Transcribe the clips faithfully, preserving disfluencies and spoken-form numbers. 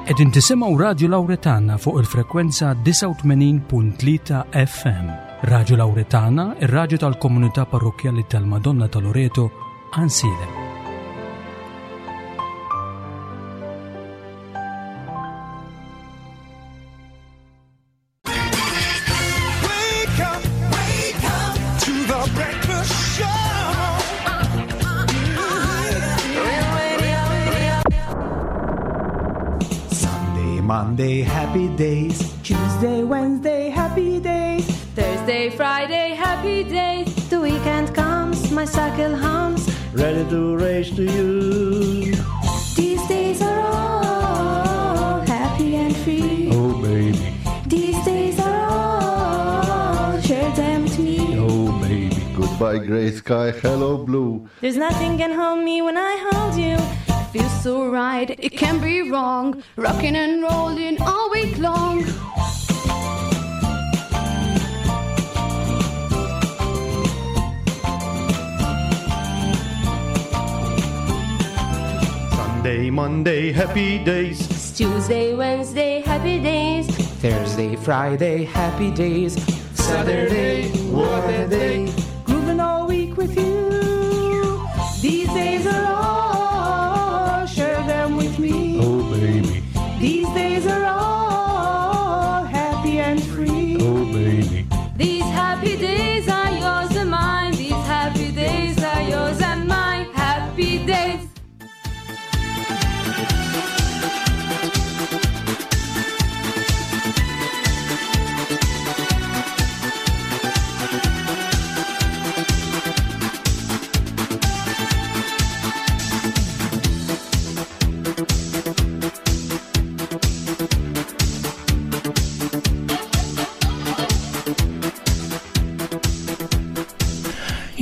Qegħdin tisimgħu Radju Lawretana fuq il-frekwenza disgħa u tmenin punt tlieta F M. Radju Lawretana, ir-radju tal-komunità parrokkjali tal-Madonna ta' Loreto, Għajnsielem. Monday, happy days. Tuesday, Wednesday, happy days. Thursday, Friday, happy days. The weekend comes, my cycle hums. Ready to race to you. These days are all happy and free. Oh, baby. These days are all, share them with me. Oh, baby. Goodbye, grey sky, hello, blue. There's nothing can hold me when I hold you. Feels so right, it can't be wrong. Rocking and rolling all week long. Sunday, Monday, happy days. It's Tuesday, Wednesday, happy days. Thursday, Friday, happy days. Saturday, what a day. Grooving all week with you. These days are all, share them with me. Oh, baby. These days are all happy and free. Oh, baby. These happy days are yours and mine. These happy days are yours and mine. Happy days.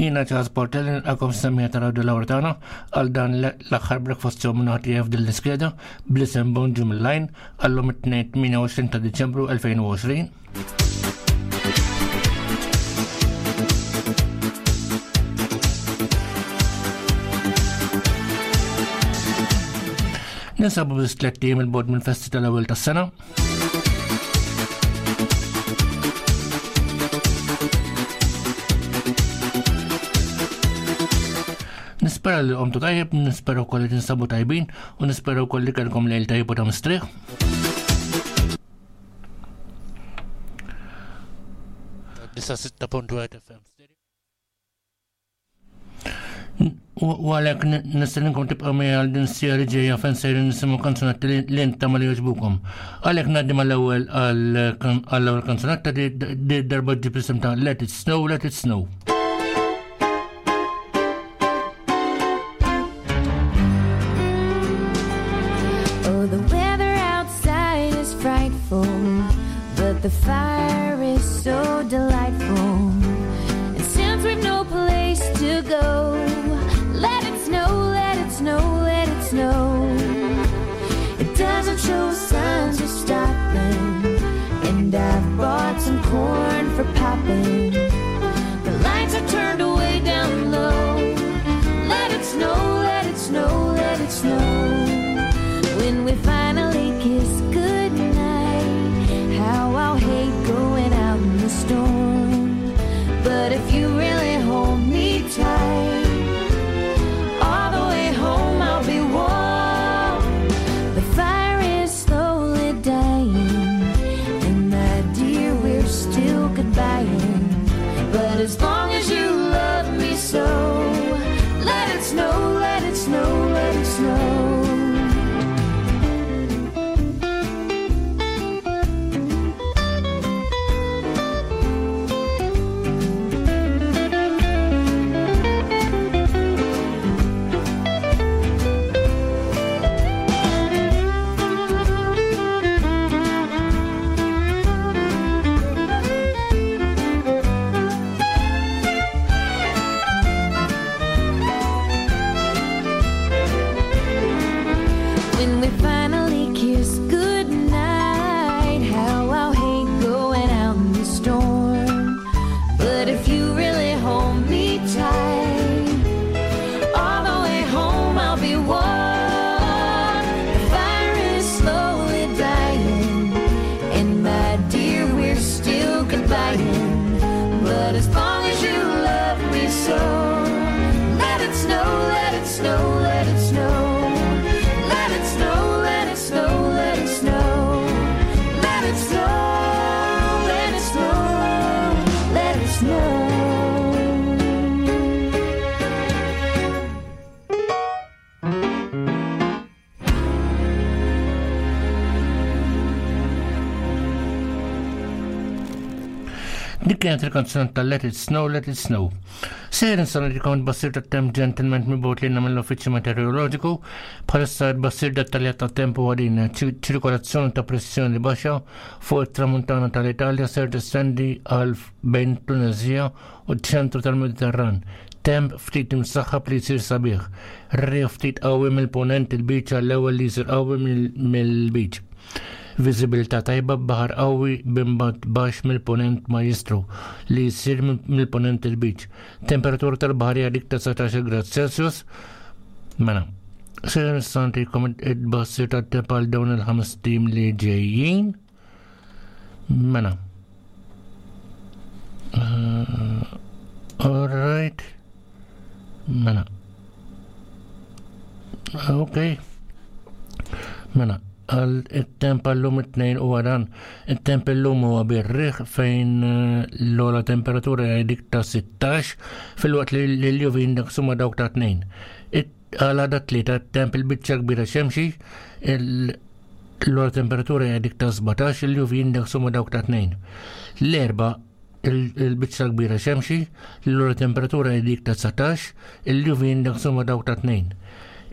Jiena Charles Portelli nilqakom semmija ta' Radio Lawretana għal dan l-aħħar breakfast show minn ħadd f'din l-iskeda bl-isem Bonġu mill-Lajn għallum it-tnejn tmienja u għoxrin ta' Diċembru elfejn u għoxrin. Ninsabu biss tliet ijiem il-bogħod mill-festi tal-ewwel tas-sena. Nispera li qomtu tajjeb, nispera wkoll li tinsabu tajbin u nispera wkoll li kellkom lejl tajjeb u ta' mistrieħ. Disa sitta punt wieħed F M. U għalhekk n-, nistenninkom tibqgħu miegħi għal din s-sija li ġejja fejn sejrin nisimgħu kanzunetti li, li intom li jogħġbukom. Għalhekk ngħaddi mal-ewwel għal kan-, għall-ewwel kanzunetta di, di darba ġib l-isem ta' Let It Snow, Let It Snow. Oh, the weather outside is frightful, but the fire is so delightful. And since we've no place to go, let it snow, let it snow, let it snow. It doesn't show signs of stopping, and I've bought some corn for popping. The lights are turned way down low. Let it snow, let it snow, let it snow. When we finally kiss goodnight, how I'll hate going out in the storm. But if you really hold me tight, all the way home I'll be warm. The fire is slowly dying, and my dear, we're still goodbying. But as long as you love me so, let it snow, let it snow, let it snow. snow, let it snow. Let it snow, let it snow, let it snow. Let it snow, let it snow, let it snow. Dik kienet il-kanzunetta ta' Let It Snow, Let It Snow. Sejr nsanadikom tbassir tat-temp ġentilment mibgħut lilna mill-Uffiċċju Meteoroloġiku. Bħalissa tbassir dettaljat tat-temp huwa din: ċirkolazzjoni ta' pressjoni baxxa fuq it-tramuntana tal-Italja ser testendi għal bejn Tunezija u ċ-ċentru tal-Mediterran. Temp ftit imsaħħab li jsir sabiħ. Riħ ftit qawwi mill-ponent il-biċ għall-ewwel li jsir qawwi mill-biċ. Viżibilità tajba b'baħar qawwi b'imbagħad baxx mill-ponent majjistru li jsir mill-ponent il-biċ. Temperatura tal-baħar hija dik ta' dsatax-il grad Celsius. Mela, se nistgħu it-tbassir tat-temp għal dawn il-ħames tim li ġejjin. Mela. Uh, all right. Mela. Ok. Mela. Għal it-temp għallum it-tnejn u għadan it-temp illum huwa bir-riħ fejn l-ogħla temperatura hija dik ta' sittax filwaqt li l-U V index huma dawk ta' tnejn. Għal għada tlieta t-temp il-biċċa kbira xemxi, l-ogħla temperatura hija dik ta' sbatax, il-U V index huma dawk ta' tnejn. L-erba' il-biċċa kbira xemxi, l-ogħla temperatura hija dik ta' dsatax, il-U V index huma dawk ta' tnejn.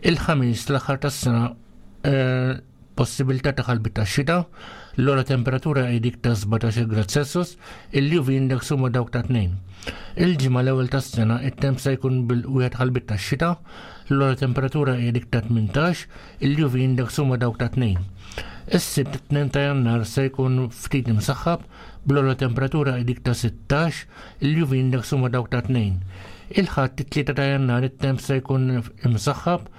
Il-ħamis l-aħħar tas-sena possibilità ta' ħalbi ta' xita, l-ogħla temperatura hi dik ta' sbatax-il grad Celsius, il-U V index huma dawk ta' tnejn. Il-ġimgħa l-ewwel tas-sena it-temp se jkun bil-wieħed ħalbit ta' xita, l-ogħla temperatura hi dik ta' tmintax, il-U V index huma dawk ta' tnejn. Is-Sibt it-tnejn ta' Jannar se jkun ftit imsaħħab, bl-ogħla temperatura hi dik ta' sittax, il-U V index huma dawk ta' tnejn. Il-Ħadd it-tlieta ta' Jannar it-temp se jkun imsaħħab,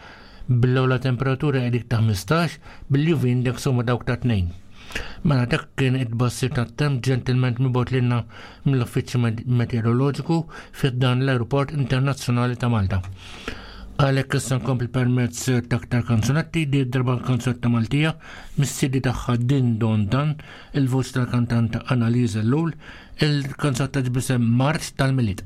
bl-ogħla temperatura hi dik ta' ħmistax, bil-U V index huma dawk ta' tnejn. Mela dak kien it-tbassir tat-temp ġentilment mibgħut lilna mill-Uffiċċju Meteoroloġiku fi dan l-Aeroport Internazzjonali ta' Malta. Għalhekk issa nkompli permezz ta' aktar kanzunetti, di darba kanzunetta Maltija mis-C D tagħha Din Don Dan, il-voċ tal-kantanta Annalisa Ellul, il-kanzunetta ġbisem Marċ tal-Milied.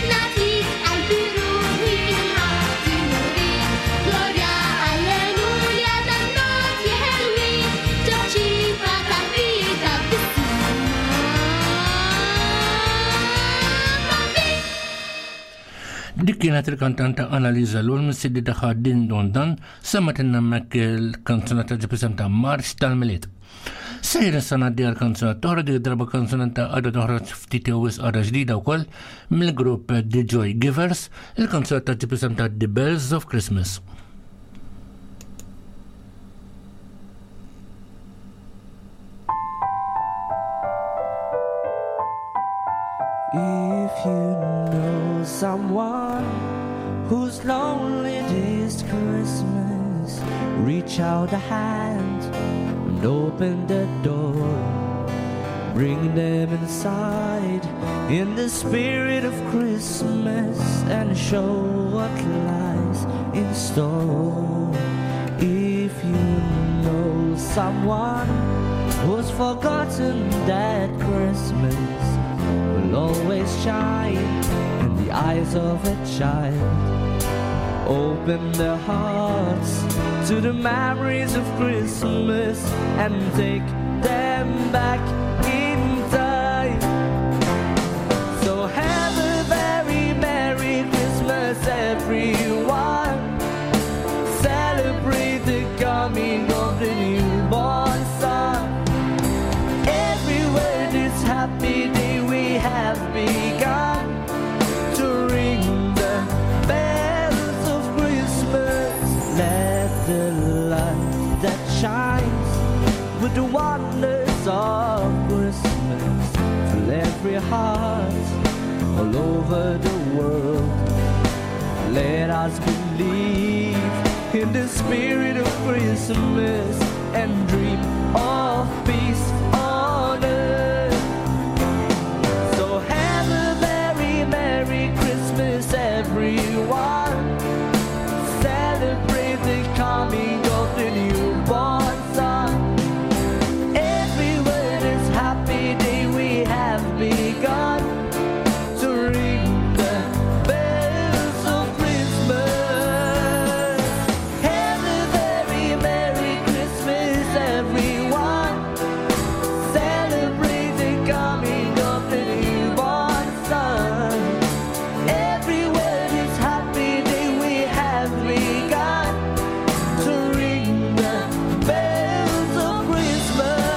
Not Dik kienet il-kantanta Annalisa Lul mis-C D tagħha Din Don Dan, semmatilna hemmhekk il-kanzunetta ġib ta' Marx tal-Milied. Sejr issa ngħaddi għal kanzunetta oħra, dik darba kanzunetta għadha toħroġ ftit jew wisq, għadha ġdida wkoll, mill-grupp The Joy Givers, il-kanzunetta ġib ta' The Bells of Christmas. If you know someone who's lonely this Christmas, reach out a hand and open the door. Bring them inside in the spirit of Christmas and show what lies in store. If you know someone who's forgotten that Christmas will always shine in the eyes of a child, open their hearts to the memories of Christmas and take them back in time. So have a very Merry Christmas, everyone. Celebrate the coming of the newborn Son. Everywhere this happy day we have begun to ring the bells of Christmas. Let the light that shines with the wonders of Christmas fill every heart all over the world. Let us believe in the spirit of Christmas and dream of peace on earth. So have a very Merry Christmas, everyone. Celebrate the coming of the newborn Son. Everywhere this happy day we have begun to ring the bells of Christmas. Have a very Merry Christmas, everyone. Celebrate the coming of the newborn Son. Everywhere this happy day we have begun to ring the bells of Christmas.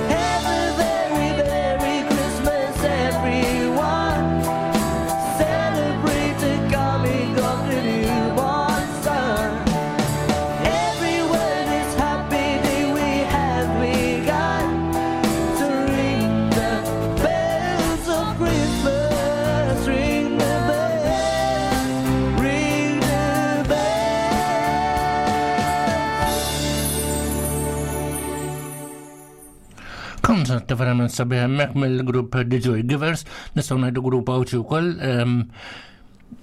Have a very Merry Christmas, everyone. Celebrate the coming of the newborn Son. Everywhere this happy day we have begun to ring the bells of Christmas. Ring the bells, ring the bells. Kanzunetta verament sabiħ hemmhekk mill-grupp The Joy Givers, nistgħu ngħidu grupp Għawdxi wkoll. ehm,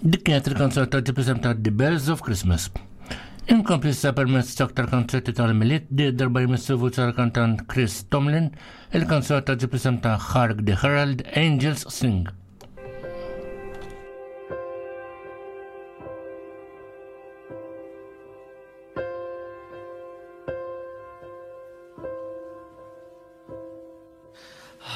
Dik kienet il-kanzunetta ġib ta' The Bells of Christmas. Inkompli issa permezz ta' aktar kanzunetti tal-Milied, di darba jmissu vuċi tal-kantant Chris Tomlin, il-kanzunetta ġib ta' Hark the Herald Angels Sing.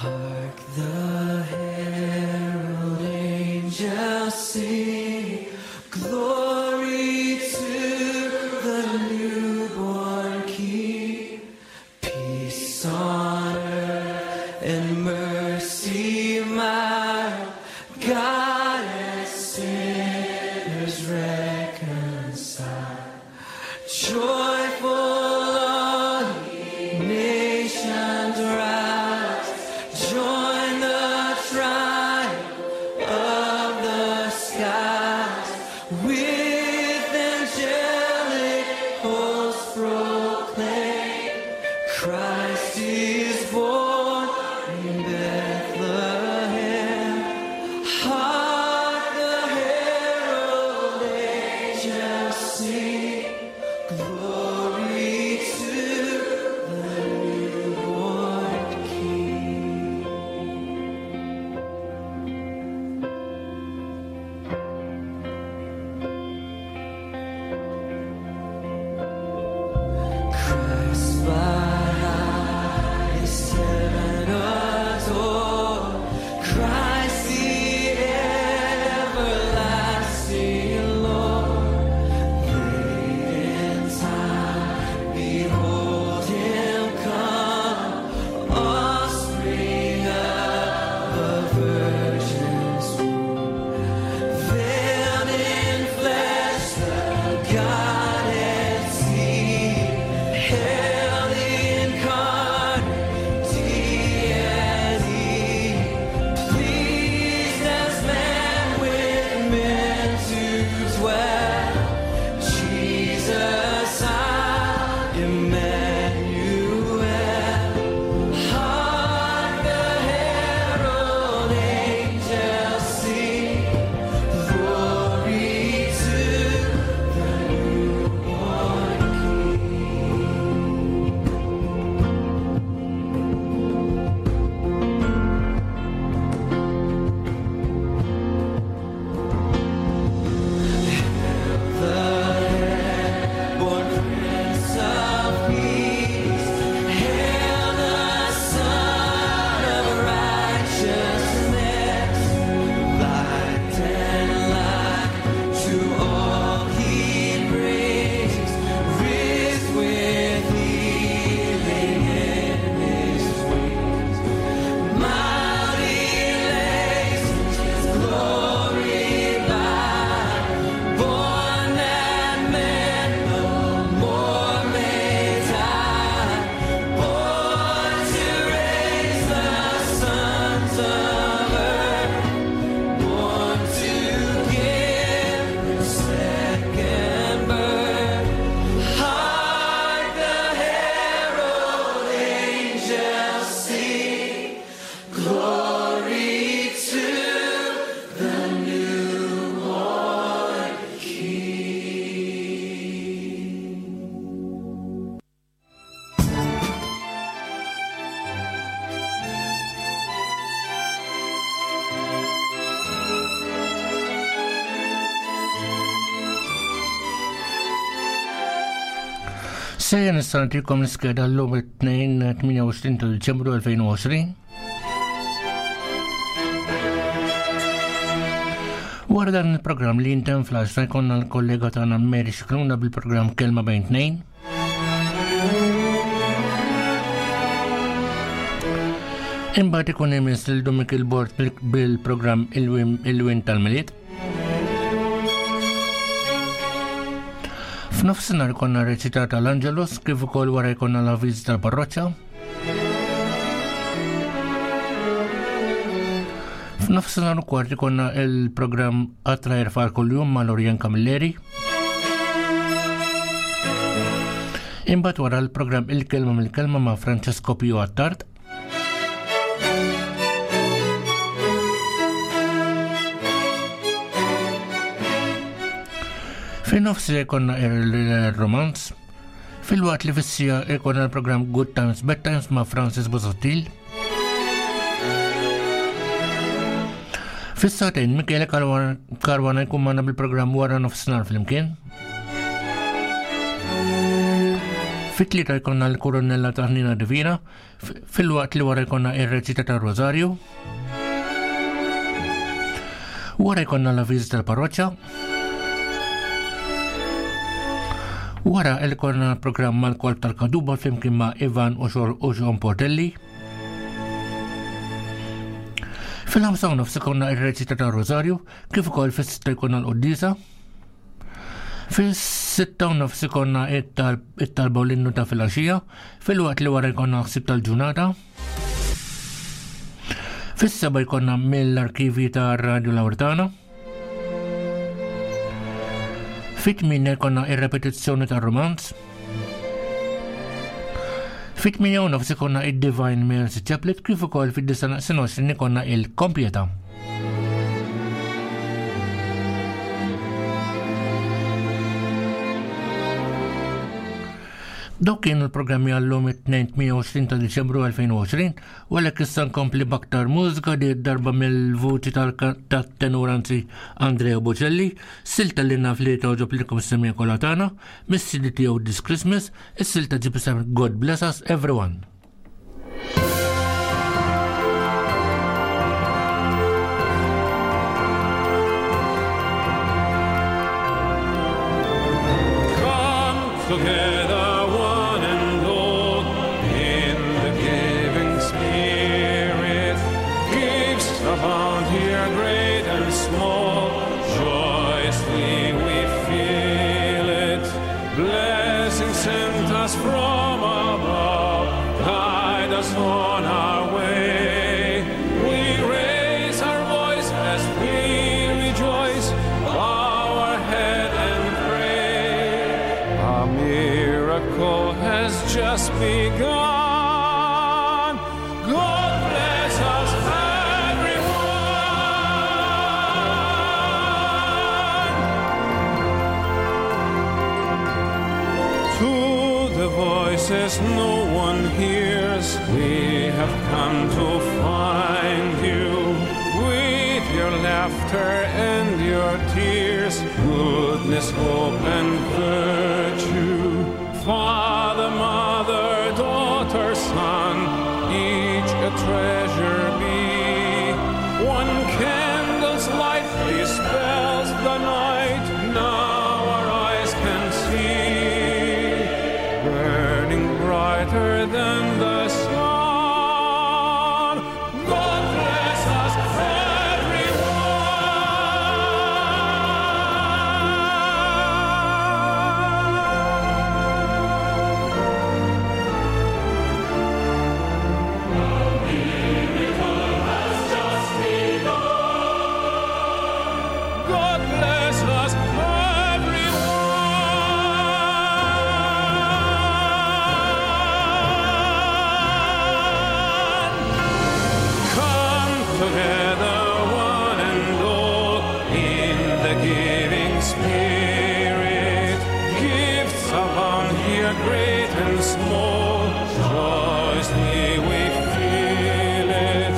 Hark the herald angels sing, glory to the newborn King. Peace on earth and mercy mild, God and sinners reconciled. Joyful all ye nations rise, join the triumph of the skies. With angelic hosts proclaim, Christ is born in Bethlehem. Hark the herald angels sing, glory to the newborn King. Christ by highest heaven adored, Christ the Glory by, born that men no more may die, born to raise the sons of earth, born to give second birth. Hark the herald angels sing, glory to the newborn King. Sejja nista' nagħtikom l-iskeda llum it-tnejn tmienja u għoxrin ta' Diċembru elfejn u għoxrin. Wara dan il-programm li jintem fl-għaxra jkollna l-kollega tagħna Mary Scicluna bil-programm Kelma Bejn Tnejn. Imbagħad ikun imiss lil Dominic il-Bord bil-, bil-programm Il-Win, Il-Win tal-Milied. F'nofsinhar konna reċitata l-Angelus kif ukoll wara jkollna l-avviż tal-parroċċa. F'nofsinhar u kwart ikollna il-programm Qatra Jerfar kuljum ma' Lorien Camilleri. Imbagħad wara l-programm Il-Kelma mill-Kelma ma' Francesco Pio Attard. Fin-nofsi jkollna il-romanz, fil-waqt li fis-sija jkollna l-programm Good Times Bad Times ma' Francis Busuttil. Fis-sagħtejn Michele Caruana, Caruana jkun magħna bil-programm Wara Nofsinhar flimkien. Fit-tlieta jkollna l-Koronella ta' Ħnina Divina, f-, fil-waqt li wara jkollna ir-reċita tar-Rożarju. Wara jkollna l-avviż tal-parroċċa. Wara il-korna programm mal-Kolb tal-Kaduba flimkien ma' Ivan u Xor u Xon Portelli. Fil-ħamsa u nofs ikonna ir-reċita tar-Rożarju, kif ukoll fis-sitta jkollna l-Quddiesa. Fis-sitta u nofs ikonna it-tal-, it-talba u l-innu ta' filgħaxija, filwaqt li wara jkollna ħsieb tal-ġurnata. Fis-seba jkollna mill-arkivi ta' Radio Lauretana. Fit-tmienja jkollna ir-repetizzjoni tar-romanz. Fit-tmienja u nofs ikonna id-Divine Mercy Chaplet, kif ukoll fid-disa naqsin għoxrin ikonna il-Kompieta. Dawk kienu l-programmi għallum it-tnejn tmienja u għoxrin ta' Diċembru elfejn u għoxrin, u għalhekk issa nkompli b'aktar mużika di darba mill-vuċi tal-ka-, tat-tenur anzi Andrea Bocelli, silta li naf li togħġob lilkom is-semija kollha tagħna, mis-C D tiegħu This Christmas, is-silta ġib isem God Bless Us Everyone. Come together, one and all, in the giving spirit. Gifts abound here, great and small. Joyously we feel it. Blessings sent us from above, guide us on our way. We raise our voice as we rejoice, bow our head and pray. A miracle has just begun. God bless us, everyone. To the voices no one hears, we have come to find you. With your laughter and your tears, goodness, hope, and virtue. Father, mother, daughter, son, each a treasure be. One candle's light dispels the night, now our eyes can see, burning brighter than the sun. God bless us, everyone. Spirit. Gifts abound here, great and small. Joyously we feel it.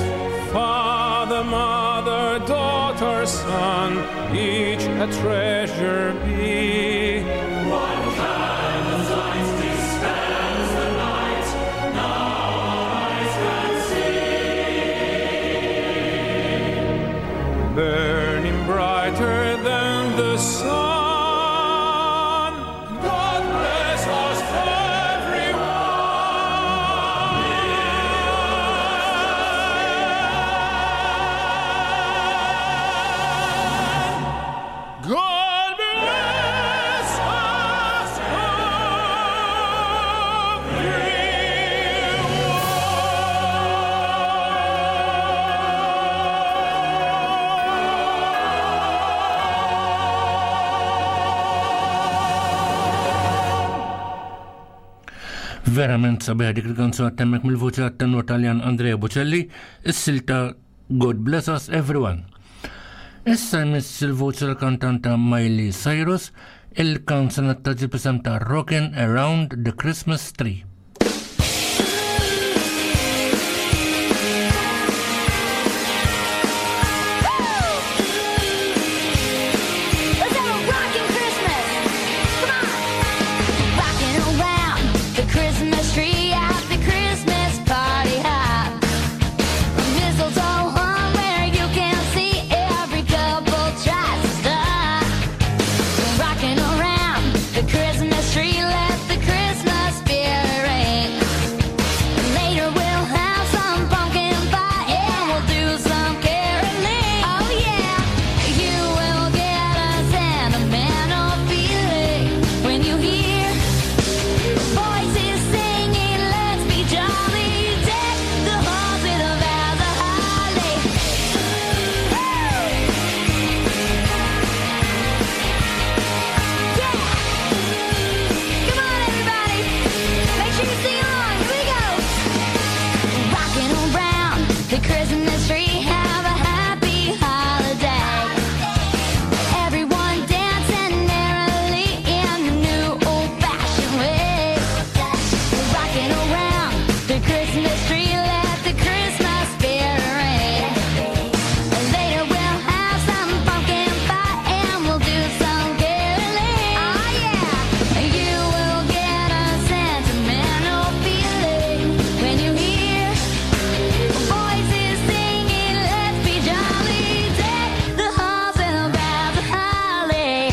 Father, mother, daughter, son, each a treasure be. One candle's light dispels the night, now our eyes can see. Burning brighter than the sun. God bless us, everyone. God bless us, Verament sabiħ dik il-kanzuna temmek mill-vuċi għat-tenur Taljan Andrea Bocelli, is-silta God Bless Us Everyone. Issa jmiss il-vuċi l-kantanta Miley Cyrus, il-kanzunetta ġib isem ta' Rockin' Around the Christmas Tree. Let's have a rockin' Christmas. Come on. Rockin' around the Christmas tree at the Christmas party hop. Mistletoe hung where you can see every couple tries to stop. Rockin' around the Christmas tree, let the Christmas spirit ring. Later we'll have some pumpkin pie and we'll do some caroling. Oh yeah, you will get a sentimental feeling when you hear voices singing. Let's be jolly, deck the halls with a boughs of holly. Yeah, come on everybody, make sure you sing along. Here we go. Rocking around the Christmas tree, have a happy holiday. Everyone dancing merrily in the new old-fashioned way. Rocking around the Christmas tree, let the Christmas spirit ring. Later we'll have some pumpkin pie and we'll do some caroling. Oh yeah, you will get a sentimental feeling when you hear voices singing. Let's be jolly, deck the halls and the boughs of holly.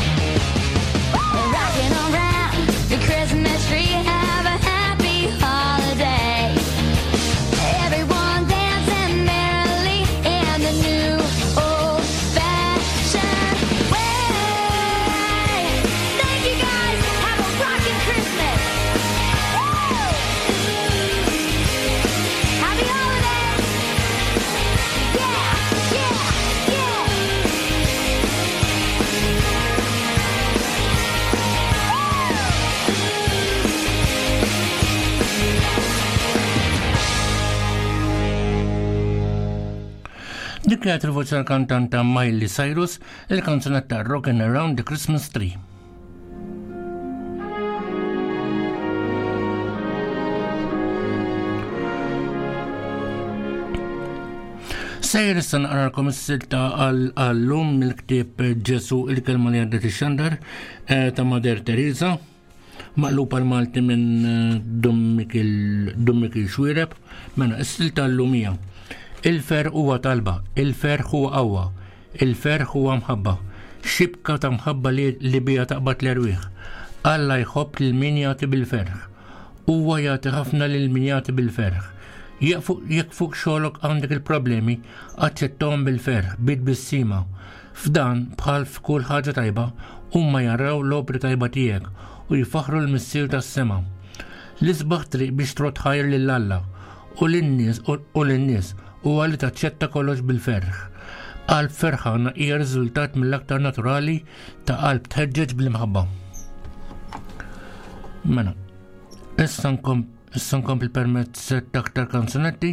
Rocking around the Christmas tree, have a happy holiday. Everyone dancing merrily in the new old-fashioned way. Thank you guys. Have a rockin' Christmas. Woo! Happy holidays. Yeah, yeah, yeah. Dik kienet il-voċi tal-kantanta Miley Cyrus, il-kanzunetta Rockin' Around the Christmas Tree. Sejjer issa naqralkom is-silta għall-lum mill-ktieb Ġesu il-kelma li għaddet ix-xandar eh, ta' Mader Teresa, maqlub għal Malti minn eh, Dom Mikil Dom Mikil Xuereb. Mela, is-silta għall-lum hija: Il-ferħ huwa talba, il-ferħ huwa qawwa, il-ferħ huwa mħabba, xibka ta' mħabba li, li bija taqbad l-erwieħ. Alla jħobb lil min jagħti bil-ferħ. Huwa jagħti ħafna lil min jagħti bil-ferħ. Jekk fuq, jekk fuq xogħlok għandek il-problemi, aċċettahom bil-ferħ, bit-tbissima. F'dan, bħal f'kull ħaġa tajba, huma jaraw l-opri tajba tiegħek u jfaħru l-Missier tas-sema. L-isbaħ triq biex trott ħajr lil Alla u lin-nies u lin-nies huwa li taċċetta kollox bil-ferħ. Qalb ferħana hija riżultat mill-aktar naturali ta' qalb tħeġġeġ bl-imħabba. Mela, issa nkom issa nkompli permezz ta' aktar kanzunetti.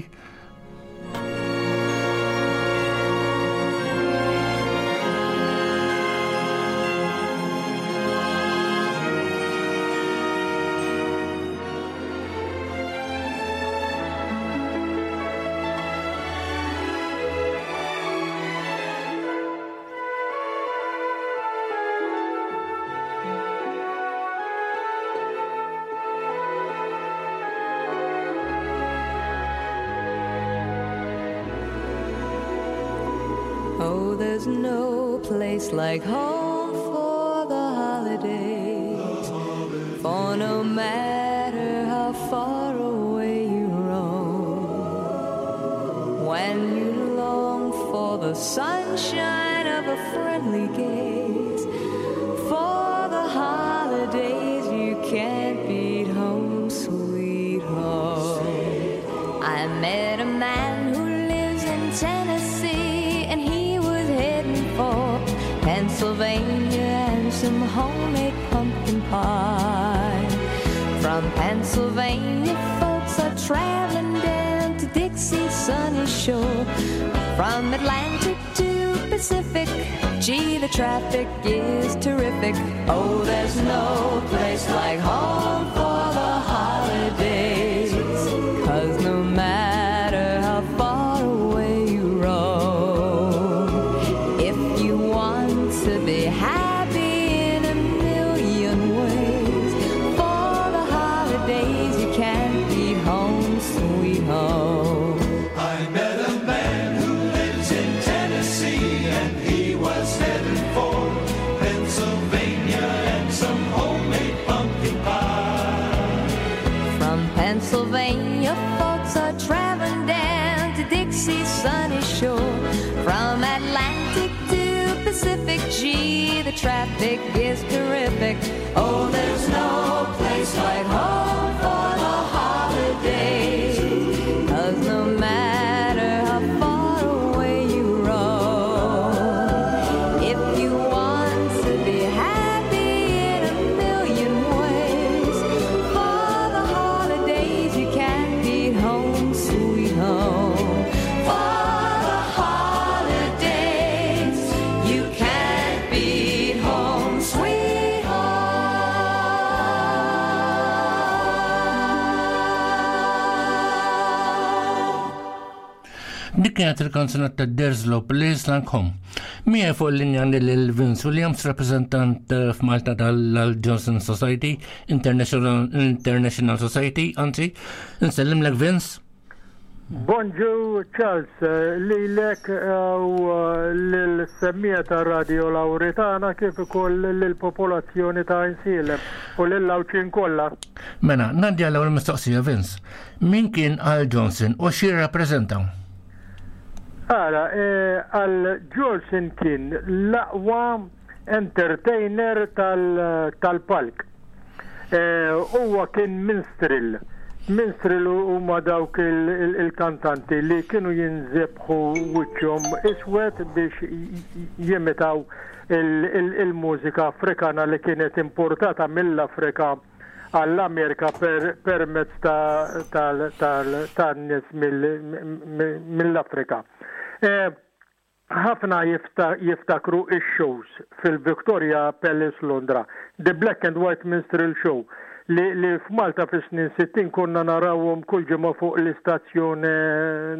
place like home for the holidays. For no matter how far away you roam, when you long for the sunshine of a friendly gaze, for the holidays you can't beat home, sweet home. I met a man who lives in Tennessee, and he was heading for Pennsylvania and some homemade pumpkin pie. From Pennsylvania, folks are traveling down to Dixie's sunny shore. From Atlantic to Pacific, gee, the traffic is terrific. Oh, there's no place like home for the holidays. 'Cause no matter how far away you roam, if you want to be happy in a million ways, for the holidays you can't beat home, sweet home. I met a man who lives in Tennessee, and he was heading for Pennsylvania and some homemade pumpkin pie. From Pennsylvania, folks are traveling down to Dixie's sunny shore. From Atlantic to Pacific, gee, the traffic is terrific. Oh, there's no place like home for the holidays. 'Cause no matter how far away you roam, if you want to be happy in a million ways, for the holidays you can't beat home, sweet home. For the holidays you can't beat home, sweet home. Dik kienet il-kanzunetta There's No Place Like Home. Miegħi fuq il-linja għandi lil Vince Williams, rappresentant eh, f'Malta tal-Johnson Society, International, International Society, anzi, nsellimlek Vince. Bonġu Charles, eh, lilek eh, u eh, lill-semmiegħa ta' Radio Lauretana kif ukoll lill-popolazzjoni ta' Għajnsielem u lill-Għawdxin kollha. Mela, ngħaddi għall-ewwel mistoqsija Vince. Min kien Al Johnson u xi rappreżenta? Ara, eh, Al Jolson kien l-aqwa entertainer tal- tal-palk. Eh, Huwa kien minstrel. Minstrel huma dawk il- il- il-kantanti li kienu jinżebħu wiċċhom iswed biex jimitaw il- il- il-mużika Afrikana li kienet importata mill-Afrika għall-Amerika per permezz ta' tal- tal- tan-nies mill- mill-Afrika. Eh, ħafna jifta, jiftakru ix-shows fil-Victoria Palace Londra, The Black and White Minstrel Show, li, li f'Malta fis-snin sittin konna narawhom kull ġimgħa fuq l-istazzjon eh,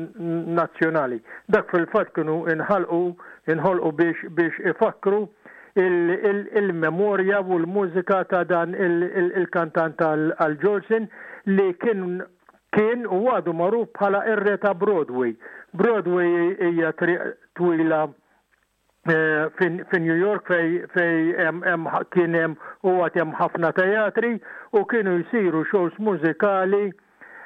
nazzjonali. Dak fil-fatt kienu inħalqu inħolqu biex biex ifakru il-memorja u l-mużika ta' dan il-kantant Al Jolson li kien kien u għadu magħruf bħala ir-re ta' Broadway. Broadway hija triq twila eh, fin New York fej fej kien hemm u għad hemm ħafna teatri u kienu jsiru shows mużikali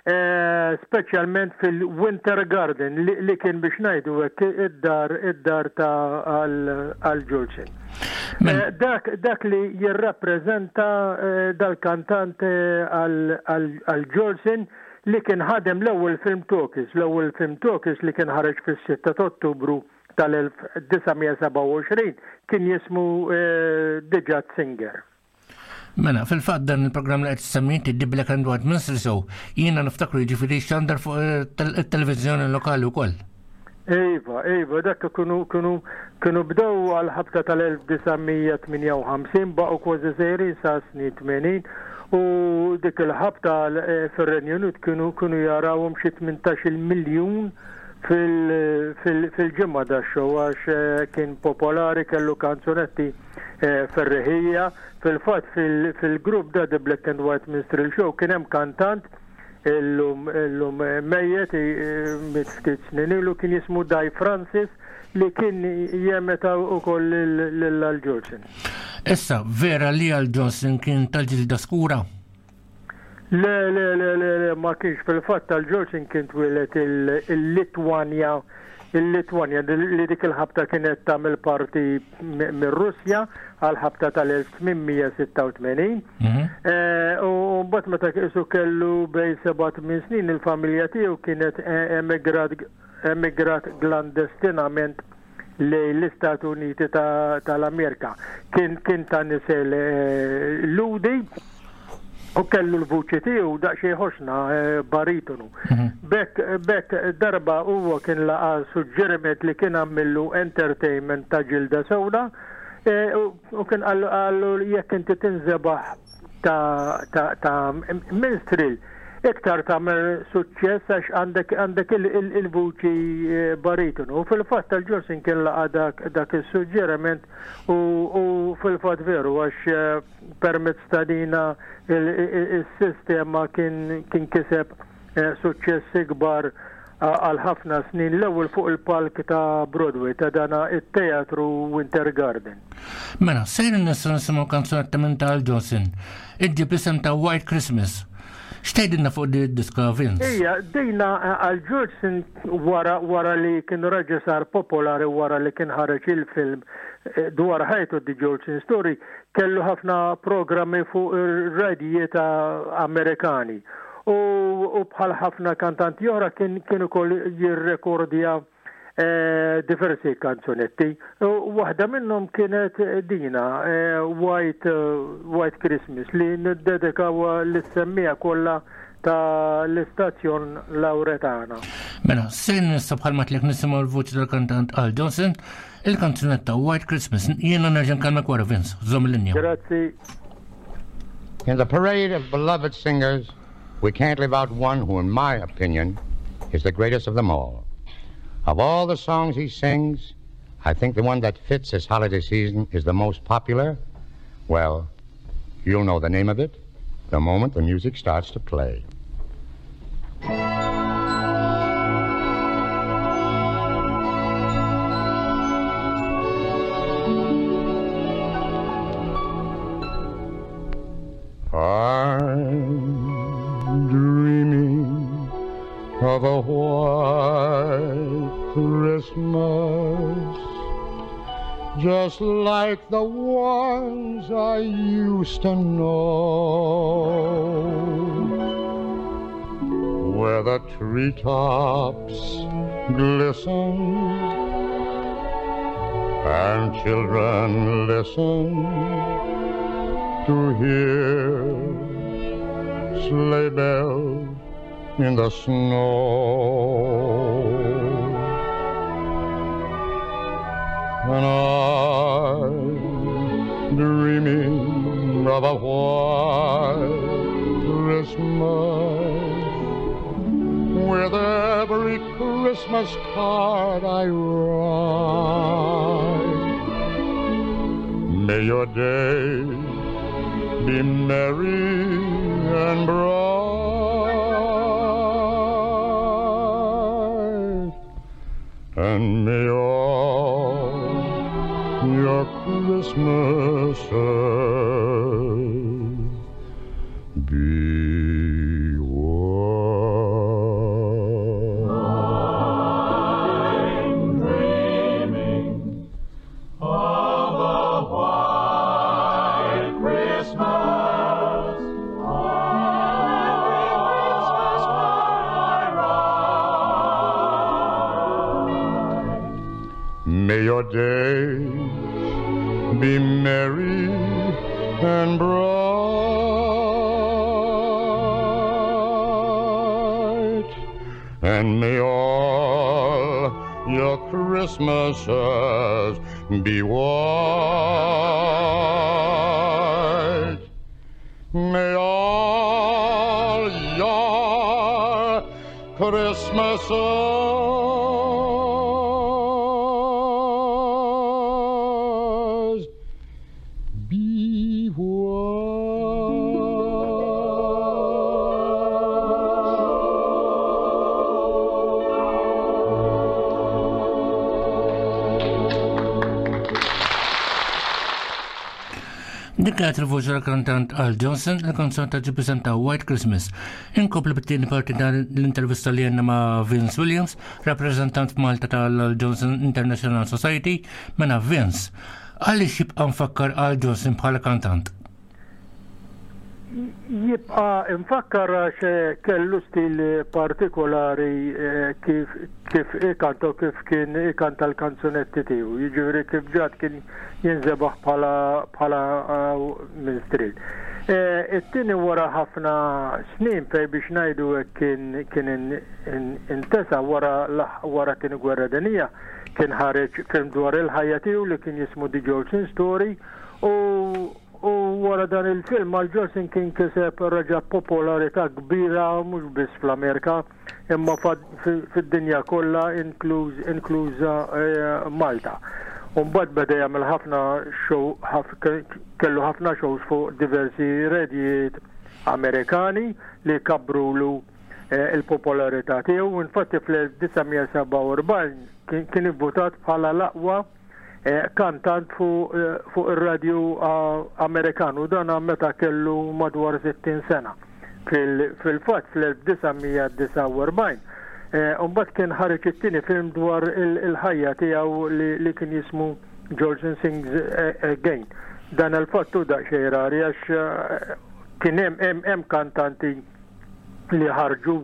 eh, speċjalment fil-Winter Garden li, li kien biex ngħidu hekk id-dar id-dar ta' Al Jolson. Eh, dak, dak li jirrappreżenta dal-kantant Al Jolson li kien ħadem l-ewwel film talkies, l-ewwel film talkies li kien ħareġ fis-sitta ta' Ottubru tal-elf disa' mija sebgħa u għoxrin kien jismu The Jazz Singer. Mela, fil-fatt dan il-programm li qed semmi inti, The Black and White Minstrel Show, jiena niftakru, jiġifieri xandar fuq it-televiżjoni lokali wkoll. Iva, iva, dak kienu kienu kienu bdew għal-ħabta tal-elf disa' mija tmienja u ħamsin, baqgħu kważi sejrin sa snin tmenin u dik il-ħabta fir-Renju Unit kienu kienu jarawhom xi tmintax-il miljun fil-ġimgħa da show għax kien popolari, kellu kanzunetti ferreħija. Fil-fatt fil-grupp da The Black and White Minstrel Show kien hemm kantant illum illum mejjet, miet ftit snin ilu, kien jismu Dai Francis. li kien jemeta wkoll lil Al Jolson. Issa, vera li Al Jolson kien tal-ġilda skura? Le, le, le, le, le, ma kienx. Fil-fatt Al Jolson kien twieled il-Litwanja, il-Litwanja li dik il-ħabta kienet tagħmel parti mir-Russja għal-ħabta tal-elf tmien mija sitta u tmenin. U mbagħad meta qisu kellu bejn seba' tmien snin, il-familja tiegħu kienet emigrat emigrat klandestinament lejn l-Istati Uniti tal-Amerika. Kien kien ta' nisel Lhudi u kellu l-vuċi tiegħu daqsxejn ħoxna, baritonu. Bekk bekk darba huwa kien laqa suġġeriment li kien għamillu entertainment ta' ġilda sewda u kien qallu jekk inti tinżebaħ ta' ta' ta' minstrel iktar tagħmel suċċess għax għandek għandek il-vuċi baritonu. U fil-fatt Al Jolson kien laqa dak dak is-suġġeriment u fil-fatt veru, għax permezz ta' dina il-sistema kien kien kiseb suċċess ikbar għal ħafna snin, l-ewwel fuq il-palk ta' Broadway, ta' dana it-teatru Winter Garden. Mela, sejrin nistgħu nisimgħu kanzunetta minn ta' Al Jolson. Iġġib isem ta' White Christmas. X'tgħidilna fuq di diska, Vince? Ija, dejna Al Jolson wara wara li kien raġa sar popolari wara li kien ħareġ il-film dwar ħajtu, The Jolson Story, kellu ħafna programmi fuq ir-radijiet Amerikani. U, u bħal ħafna kantanti oħra kien kien ukoll jirrekordja eh, diversi kanzunetti. U waħda minnhom kienet dina eh, White, uh, White Christmas, li niddedikaw lis-semmiegħa kollha ta' l-istazzjon Lauretana. Mela, sejrin nista' bħalma tlek nisimgħu l-vuċi tal-kantant Al Jolson, il-kanzunetta White Christmas. Jiena nerġa' nkellmek wara, Vince, żomm il-linja. Grazzi. In the parade of beloved singers, we can't leave out one who, in my opinion, is the greatest of them all. Of all the songs he sings, I think the one that fits this holiday season is the most popular. Well, you'll know the name of it the moment the music starts to play. I'm dreaming of a white Christmas, just like the ones I used to know, where the treetops glisten and children listen to hear sleigh bells in the snow. And I'm dreaming of a white Christmas with every Christmas card I write. May your days be merry and bright, and may all your Christmases be white. I'm dreaming of a white Christmas. Every Christmas card I write. May your days be merry and bright, and may all your Christmases be white. May all your Christmases be white. Dik kienet il-voċi tal-kantant Al Johnson, il-kanzunetta ġie preżenta White Christmas. Inkompli bit-tieni parti tal-intervista li għandna ma' Vince Williams, rappreżentant f'Malta tal-Al Johnson International Society. Mela Vince, għaliex jibqa' mfakkar Al Johnson bħala kantant? Jibqa' mfakkar għax kellu stil partikolari eh, kif kif ikanta u kif kien ikanta l-kanzunetti tiegħu. Jiġifieri kif ġat kien jinżebaħ bħala bħala eh, minstrel. Eh, It-tieni wara ħafna snin fej biex ngħidu hekk kien kien in- in- intesa wara l- wara tieni gwerra dinjija kien ħareġ film dwar il-ħajja tiegħu li kien jismu The Jolson Story u u wara dan il-film Al Jolson kien kiseb reġa popolarità kbira mhux biss fl-Amerika imma fid-dinja kollha inkluż inkluża eh, Malta. U mbagħad beda jagħmel ħafna show ħaf, kellu ħafna shows fuq diversi radijiet Amerikani li kabrulu eh, il-popolarità tiegħu. Infatti fl-elf disa' mija sebgħa u erbgħin kien kien ivvutat bħala l-aqwa eh, kantant fuq eh, fuq ir-radju ah, Amerikan u dan meta kellu madwar sittin sena. Fil-fatt fl-elf disa' mija disgħa u erbgħin eh, Mbagħad kien ħareġ it-tieni film dwar il-ħajja tiegħu li kien jismu Jolson Sings Again. Dan il-fatt hu daqsxejn rari għax kien hemm hemm kantanti li ħarġu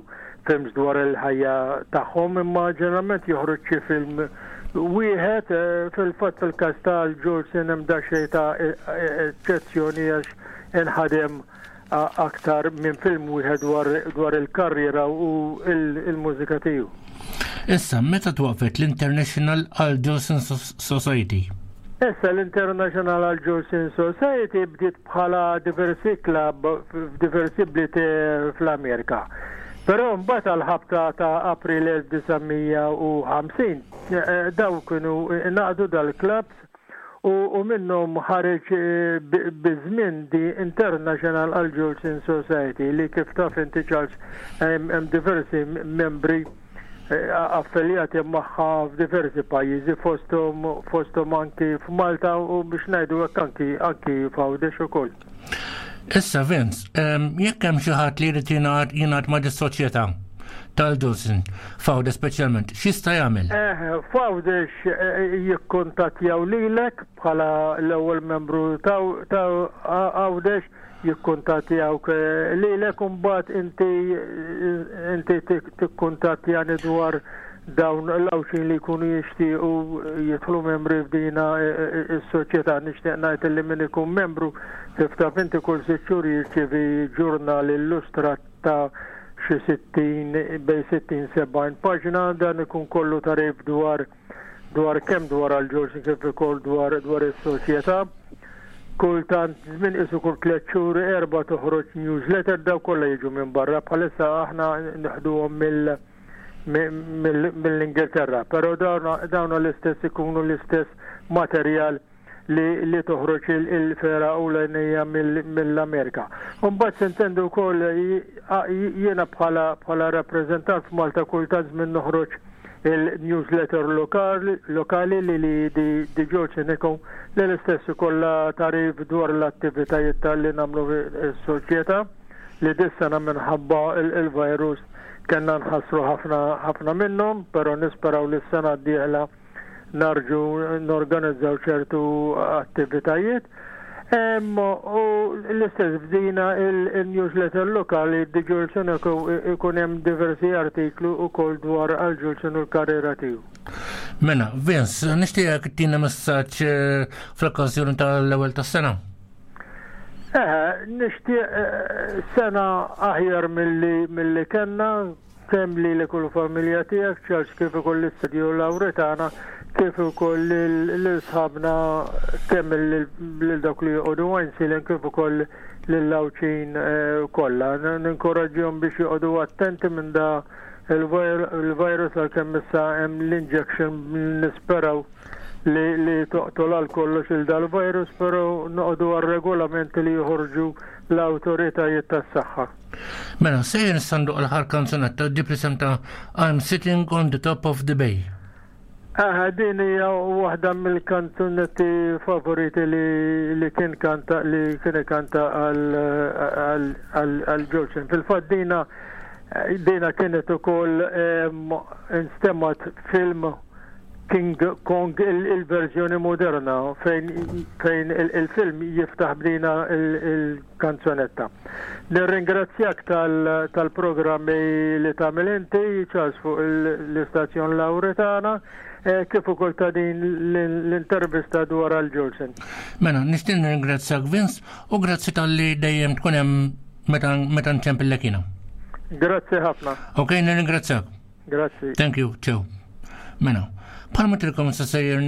films dwar il-ħajja tagħhom imma ġeneralment joħroġ xi film wieħed. Fil-fatt fil-każ tal-Jolson hemm daqsxejn ta' eċċezzjoni għax inħadem aktar minn film wieħed dwar il-karriera u il-mużika tiegħu. Issa, meta twaqfet l-International Al Jolson Society? Issa l-International Al Jolson Society bdiet bħala diversi club f'diversi bliet fl-Amerika. Però mbagħad għal-ħabta ta' April elf disa' mija u ħamsin daw kienu ngħaqdu dal-clubs u, u minnhom ħareġ biż-żmien the International Al Jolson Society li kif taf inti, Charles, hemm diversi membri affiljati magħha f'diversi pajjiżi, fosthom fosthom anki f'Malta u biex ngħidu hekk anki anki f'Għawdex ukoll. Issa Vince, jekk hemm xi ħadd li jrid jingħaqad jingħaqad ma' dis-soċjetà tal-Jolson, f'Għawdex speċjalment, x'jista' jagħmel? Eh, f'Għawdex jikkuntattjaw lilek bħala l-ewwel membru ta' Għawdex, jikkuntattjawk lilek u mbagħad inti inti tikkuntattjani dwar dawn l-Għawdxin li jkunu jixtiequ jidħlu membri f'dina is-soċjetà. Nixtieq ngħid li min ikun membru, kif taf inti, kull sitt xhur jirċievi ġurnal illustrat ta' xi sittin, bejn sittin sebgħin paġna. Dan ikun kollu tagħrif dwar dwar kemm dwar Al Jolson kif ukoll dwar dwar is-soċjetà. Kultant żmien isu kull tliet xhur erba' toħroġ newsletter. Daw kollha jiġu minn barra, bħalissa aħna neħduhom mill mill-Ingilterra, però dawn l-istess ikunu l-istess materjal li, li toħroġ il-fergħa ewlenija mill-Amerika. Mbagħad s'intendi wkoll jiena bħala bħala rappreżentant f'Malta kultant żmien noħroġ il-newsletter lokali, lokali li li di, di Jolson Echo li l-istess kollha tagħrif dwar l-attivitajiet tal-li nagħmlu s-soċjetà li dis-sena minħabba il-virus kellna nħassru ħafna ħafna minnhom, però nisperaw li s-sena d-dieħla nerġgħu norganizzaw ċertu attivitajiet. U l-istess bdina il-newsletter lokali di Jolson ikun hemm diversi artiklu ukoll dwar Al Jolson u l-karriera tiegħu. Mela, Vince, nixtieqek ttina messaġġ fl-okkażjoni tal-ewwel tas-sena. Eh, nixtieq sena aħjar milli milli kellna kemm li li kull familja tiegħek, Charles, kif ukoll l-istudju Lawretana, kif ukoll lil sħabna, kemm lil dawk li joqogħdu Għajnsielem kif ukoll lill-Għawdxin kollha. Ninkoraġġihom biex joqogħdu attenti minn da il-virus għalkemm issa hemm l-injection, nisperaw li, li toqtol għal kollox il dal-virus, però noqogħdu għal regolamenti li joħorġu l-awtoritajiet tas-saħħa. Mela, sejjer ndoqq l-aħħar kanzunetta di presenta I'm Sitting on the Top of the Bay. Aha, din hija waħda mill-kanzunetti favoriti li, li kien kanta li kien kanta għal Jolson. Fil-fatt dina dina kienet ukoll instemmat film King Kong il-verżjoni moderna fejn fejn il-film jiftaħ b'dina il-kanzunetta. Nirringrazzjak tal-programmi li tagħmel inti, Charles, fuq l-istazzjon Lauretana, kif ukoll ta' din l-intervista dwar Al Jolson. Mela, nixtieq nirringrazzjak Vince u grazzi talli dejjem tkun hemm meta nċempillek jiena. Grazzi ħafna. Ok, nirringrazzjak. Grazzi. Thank you, ciao. Mela, bħalma tilkom sa sejrin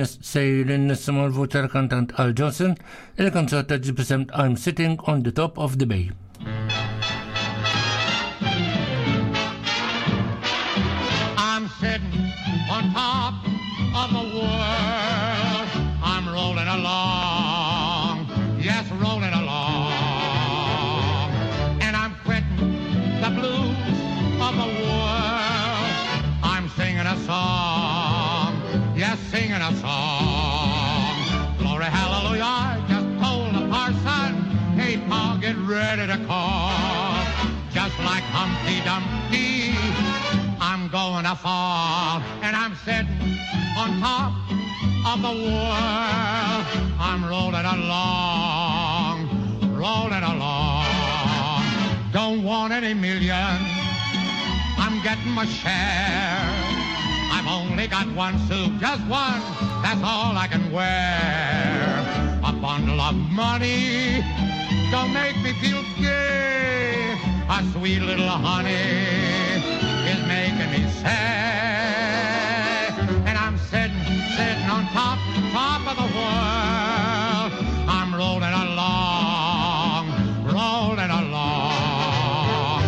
nisimgħu l-vuċi tal-kantant Al Jolson, il-kanzunetta ġib isem I'm Sitting on the Top of the Bay. I'm sitting on top of the world. I'm rolling along, yes, rolling along. And I'm quitting the blues of the world. I'm singing a song, yes, singing a song. Glory, hallelujah, I just told the parson, hey, Pa, get ready to call. Just like Humpty Dumpty, I'm going to fall. And I'm sitting on top of the world. I'm rolling along, rolling along. Don't want any millions, I'm getting my share. I've only got one suit, just one, that's all I can wear. A bundle of money don't make me feel gay. A sweet little honey is making me sad. And I'm sitting, sitting on top, top of the world. I'm rolling along, rolling along.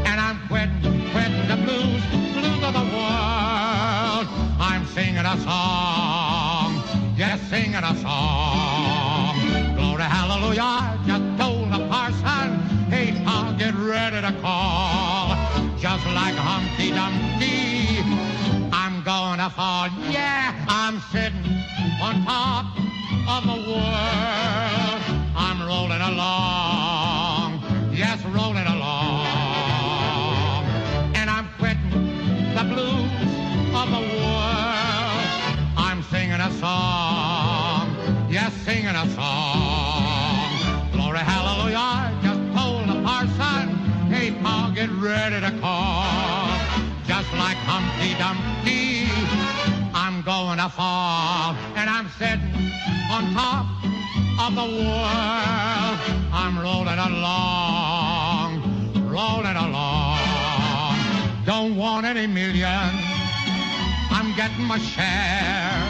And I'm quitting, quitting the blues, blues of the world. I'm singing a song, yes, singing a song. Glory, hallelujah, I just told the parson, hey, I'll get ready to call. Just like Humpty Dumpty, I'm gonna fall. Yeah, I'm sitting on top of the world. I'm rolling along, yes, rolling along. And I'm quitting the blues of the world. I'm singing a song, yes, singing a song. Glory, hallelujah, I just told the parson, hey, Pa, get ready to call. Just like Humpty Dumpty, I'm gonna fall. And I'm sitting on top of the world. I'm rolling along, rolling along. Don't want any millions, I'm getting my share.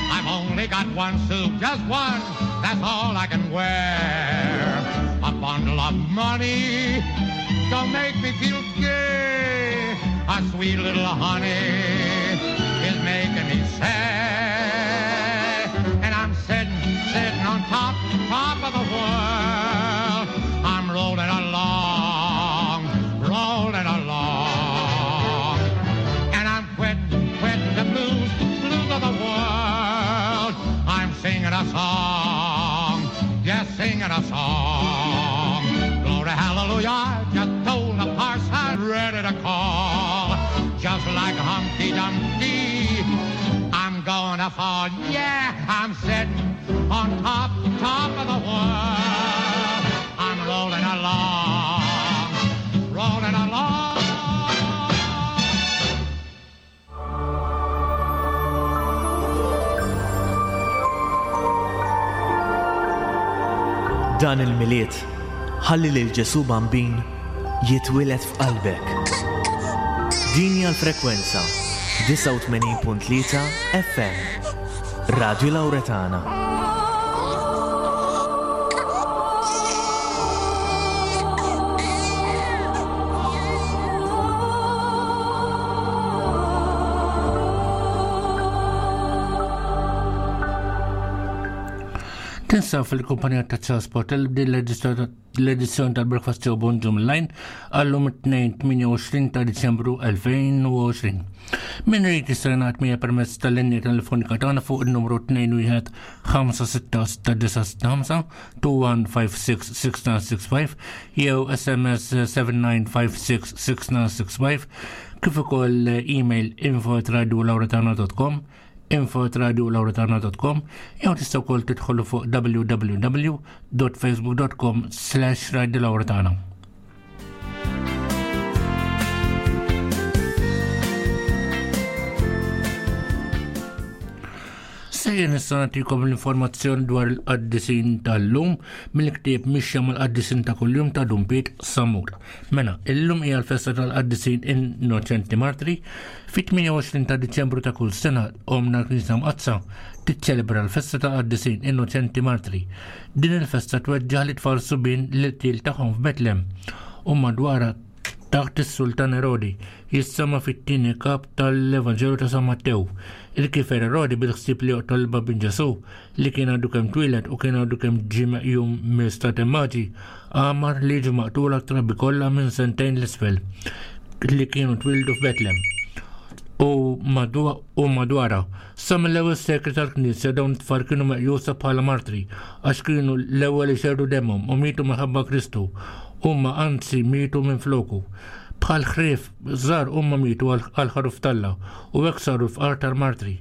I've only got one suit, just one, that's all I can wear. A bundle of money don't make me feel gay. A sweet little honey is making me sad. And I'm sitting, sitting on top, top of the world. I'm rolling along, rolling along. And I'm quitting, quitting the blues, blues of the world. I'm singing a song, yes, singing a song. Glory, hallelujah, I just told the parson, ready to call. Just like Humpty Dumpty, I'm gonna fall. Yeah, I'm sitting on top, top of the world. I'm rolling along, rolling along. Dan il-Milied, ħalli lil Ġesu Bambin jitwieled f'qalbek. Din hija l-frekwenza disgħa u tmenin punt tlieta F M, Radio Lauretana. Tinsab fil-kumpanija ta' Charles Portel b'din l-edizzjoni tal-Breakfast Show Bonġu Online għallum it-tnejn tmienja u għoxrin ta' Diċembru elfejn u għoxrin. Min irid jista' jingħaqad miegħi permezz tal-linja telefonika tagħna fuq in-numru tnejn wieħed ħamsa sitta sitta disa' sitta ħamsa, two one five six six nine six five jew S M S seven nine five six six nine six five, kif ukoll email info at radio lauretana dot com, info at radio lauretana dot com, jew tistgħu wkoll tidħolu fuq w w w dot facebook dot com slash radio lauretana. Sejjer nista' nagħtikom l-informazzjoni dwar il-qaddisin tal-lum mill-ktieb Mixja mal-Qaddisin ta' Kuljum ta' Dun Piet Sammut. Mela, illum hija l-festa tal-Qaddisin Innoċenti Martri. Fit-tmienja u għoxrin ta' Diċembru ta' kull sena omna l-Knisja Mqaddsa tiċċelebra l-festa tal-Qaddisin Innoċenti Martri. Din il-festa tweġġaħ li tfal subien li t-til tagħhom f'Betlem u madwarha taħt is-Sultan Erodi, jissama fit-tieni kap tal-Evanġelju ta' San Mattew. Il-kifer Erodi bil-ħsieb li joqtol il-Bambin Ġesu li kien għadu kemm twieled u kien għadu kemm ġie meqjum mill-Stati Maġi, għamar li jiġu maqtula t-trabi kollha minn sentejn l-isfel li kienu twildu f'Betlem u madwa-, u madwarha. Sa mill-ewwel sekli tal-Knisja dawn it-tfal kienu meqjusa bħala martri għax kienu l-ewwel ixerdu demhom u mietu minħabba Kristu. Huma anzi mietu minn floku. Bħal ħrief żgħar huma mietu għal-, għal ħaruf talla u hekk saru l-fqar tal-martri.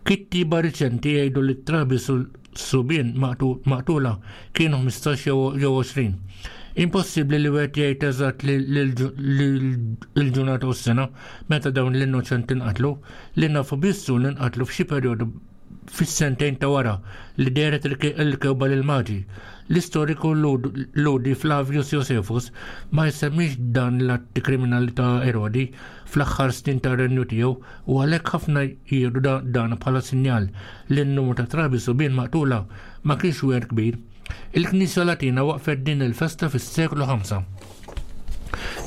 Kittieba riċenti jgħidu li t-trabi sul-, subien maqtu-, maqtula kienu ħmistax jew, jew għoxrin. Impossibbli li wieħed jgħid eżatt li l-ġurnata u s-sena meta dawn l-innoċenti nqatlu, li nafu bissu li nqatlu f'xi perjodu fis-sentejn ta' wara li dehret il-ke-, il-kewba lil Maġi. L-istoriku Lud-, Ludi Flavius Josephus ma jsemmix dan l-atti kriminali ta' Erodi fl-aħħar snin ta' renju tiegħu u għalhekk ħafna jieħdu da-, dan bħala sinjal li n-numru ta' trabi subien maqtula ma kienx wieħed kbir. Il-Knisja Latina waqfet din il-festa fis-seklu ħamsa.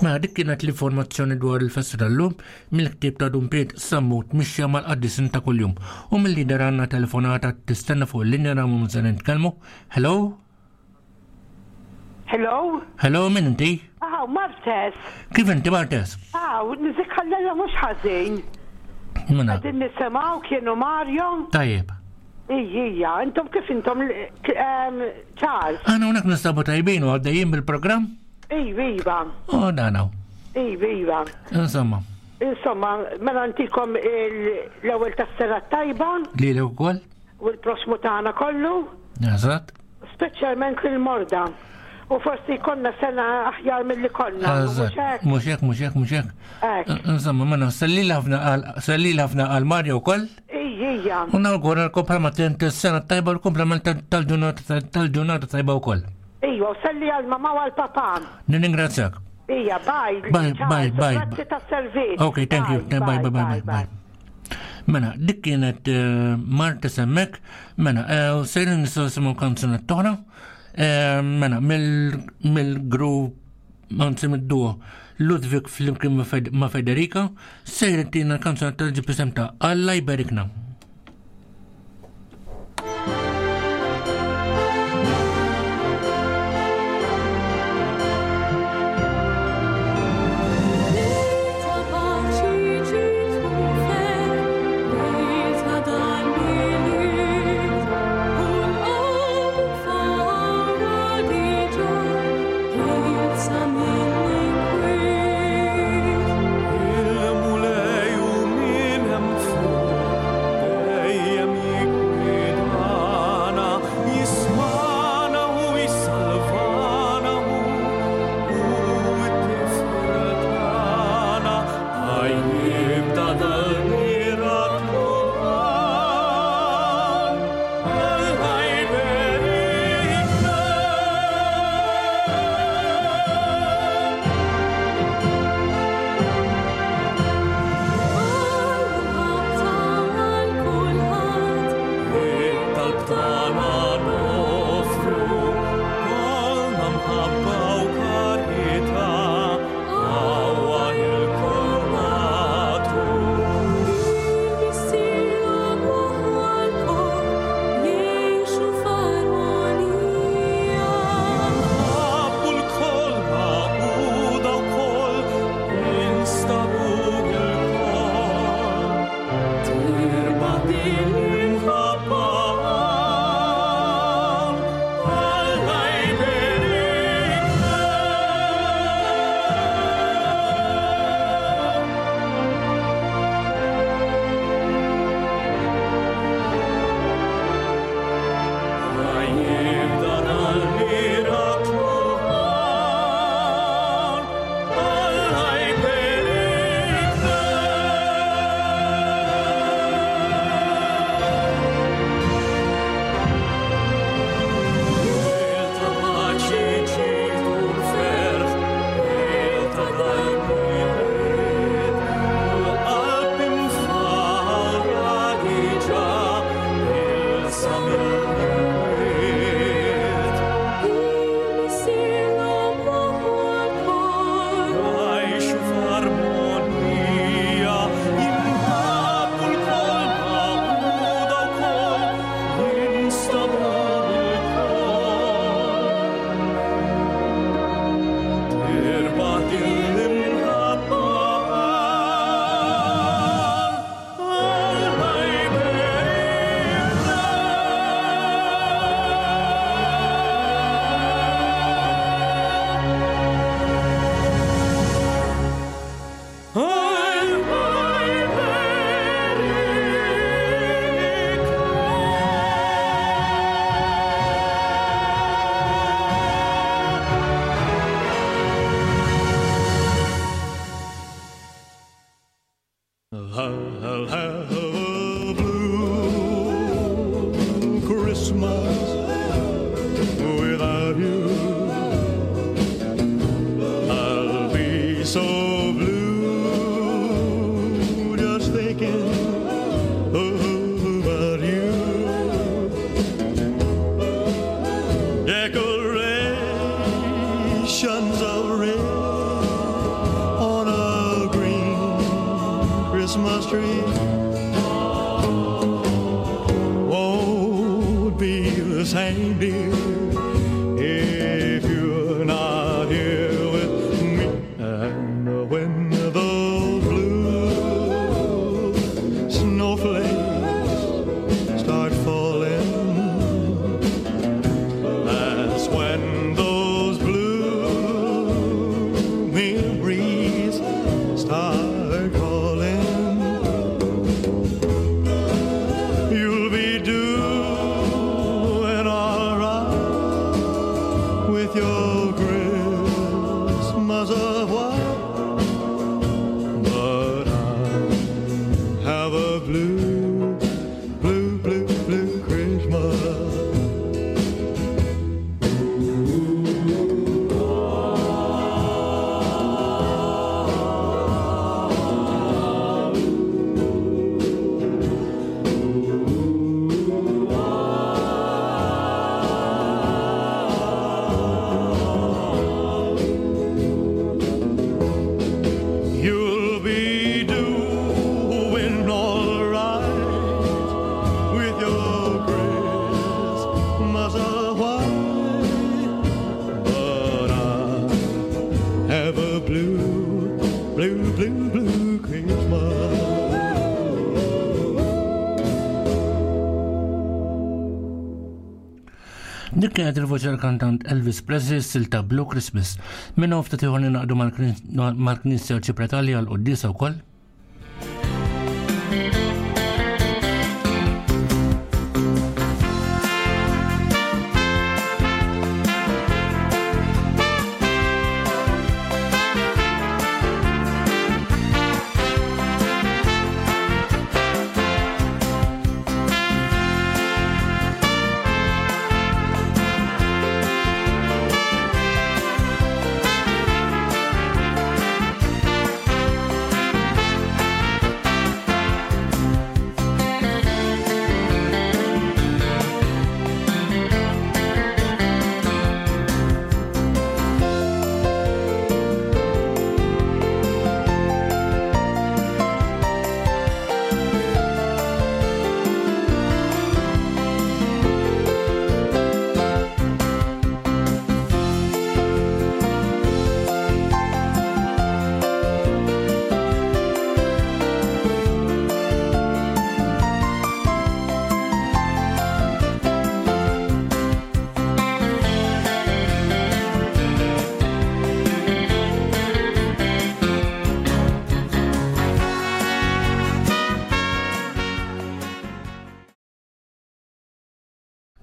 Mela dik kienet l-informazzjoni dwar il-festa tal-lum mill-ktieb ta' Dun Piet Sammut Mixja mal-Qaddisin ta' Kuljum. U mill-lider għandna telefonata tistenna fuq il-linja nagħmlu minn se nitkellmu. Hello? Hello? Hello, min inti? Aw, Martes. Kif inti, Martes? Aw, nizik ħallella mhux ħażin. Mela. Qegħdin nisimgħu kienu Mario. Tajjeb. Ija, intom kif intom, ehm, Charles? Aħna hawnhekk nistabu tajbin u għaddejjin bil-programm? Iva, iva. Oh, dan hawn. Iva, iva. Insomma. Insomma, mela ntikom il-, l-ewwel tas-sena tajba. Lilek ukoll. U l-prossmu tagħna kollu. Eżatt. Speċjalment lil-morda. U forsi konna sena aħjar mill-li konna. Eżatt. Mhux hekk? Mhux hekk, mhux hekk, mhux hekk. Hekk. Insomma, mela sellili ħafna għal, sellili ħafna għal Mario wkoll. Ija. U nawguralkom bħalma tent is-sena tajba u l-kumplament tal-ġurnata, tal-ġurnata tajba wkoll. Ija, u selli għal mama u għal papa. Nirringrazzjak. Ija, bye. Bye, Ciao, bye, bye. Grazzi tas-servizz. Ok, thank you. Bye, Bye, bye, bye, bye, bye, bye. Mela, dik kienet, eh, Marta semmek. Mela, eh, sejrin nistgħu nisimgħu kanzunetta oħra. Eh, mela, mill-, mill-grupp, anzi mid-duo Ludwig flimkien ma' Fed-, ma' Federica, sejrin tina kanzunetta li ġib isem ta' Alla jberikna. Il-mulej u min hemm fuq tree won't be the same, dear, if you're not here with me. And when those blue snowflakes start falling, that's when those blue memories start calling. You'll be doing all right with your Christmas of white, but I'll have a blue, blue, blue, blue Christmas. You'll be doing all right with your Christmas of white, but I'll have a blue, blue, blue, blue Christmas. Dik kienet il-voċi tal-kantant Elvis Presley silta Blue Christmas. Minn hawn ftit ieħor ningħaqdu mal-Knisja Arċipretali għal quddiesa wkoll.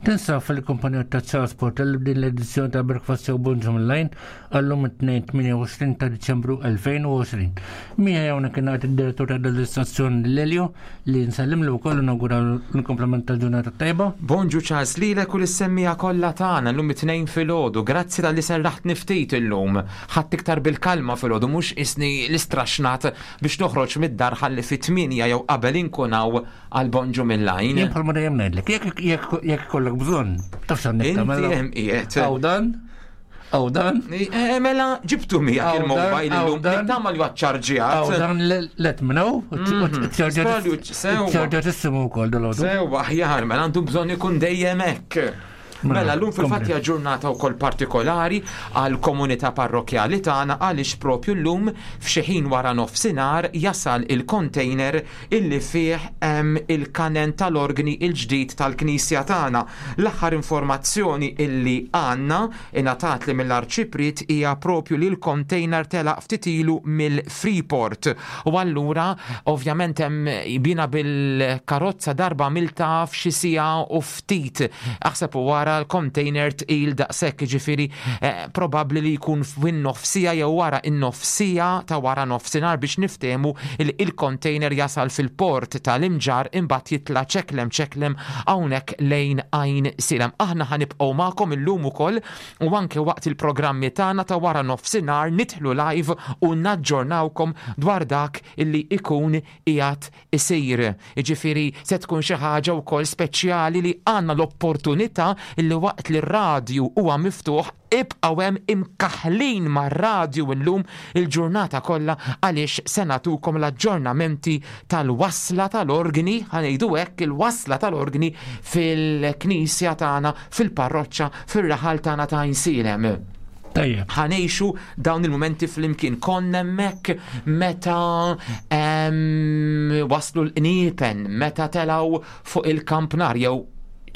Tinsab fil-kumpanija ta' Charles Portel b'din l-edizzjoni ta' Breakfast Show Bonġu Online għallum it-tnejn tmienja u għoxrin ta' Diċembru elfejn u għoxrin. Miegħi hawnhekk kien għad id-direttur ta' dan l-istazzjon Lelio li nsellimlu wkoll u nawguralu l-komplement tal-ġurnata tajba. Bonġu Charles, lilek u lis-semmija kollha tagħna llum it-tnejn filgħodu. Grazzi talli serraħt niftit illum. Ħadd iktar bil-kalma filgħodu mhux isni l-istraxnat biex noħroġ mid-dar ħalli fit-tmienja jew qabel inkun hawn għal Bonġu Mill-Lajn. Jien bħalma dejjem ngħidlek, jekk jekk jekk ikollok bżonn, taf x'għandek Inti tagħmel. hemm qiegħed. Hawn dan, hawn dan. Eh, mela, ġibtu miegħek Hawn dan, il-mobile illum. hawn dan. Nittama li huwa ċċarġjat. Hawn dan let me know. Mhm. Spera li hu- sewa. Ċċarġjat wkoll dal-għodu. Sewa, aħjar, mela għandu bżonn ikun dejjem hekk. Mela, llum fil-fatt hija ġurnata wkoll partikolari għal komunità parrokjali tagħna għaliex propju llum f'xi ħin wara nofsinhar jasal il-container illi fih hemm il-kanen tal-organi il-ġdid tal-Knisja tagħna. L-aħħar informazzjoni illi għandna ingħatat li mill-Arċipriet hija propju li l-container telaq ftit ilu mill-Freeport. U allura ovvjament hemm bina bil-karozza darba milta f'xi siegħa u ftit. Aħseb u wara l-container tqil daqshekk, jiġifieri, eh, probabbli li jkun fin-nofsija jew wara in-nofsija ta' wara nofsinhar biex niftehmu li il-container jasal fil-port tal-Imġarr imbagħad jitla' ċeklem ċeklem hawnhekk lejn Għajn Silem. Aħna ħanibqgħu magħkom illum ukoll u anke waqt il-programmi tagħna ta' wara nofsinhar nidħlu live u naġġornawkom dwar dak illi ikun qiegħed isir. Jiġifieri se tkun xi ħaġa wkoll speċjali li għandna l-opportunità illi waqt li r-radju huwa miftuħ ibqgħu hemm imkaħlin mar-radju illum il-ġurnata kollha għaliex se nagħtukom l-aġġornamenti tal-wasla tal-organi, ħa ngħidu hekk, il-wasla tal-organi fil-knisja tagħna, fil-parroċċa, fir-raħal tagħna ta' Għajnsielem. Tajjeb. Ħa ngħixu dawn il-momenti flimkien. Konna hemmhekk meta em, waslu l-qniepen, meta telaw fuq il-kampnar jew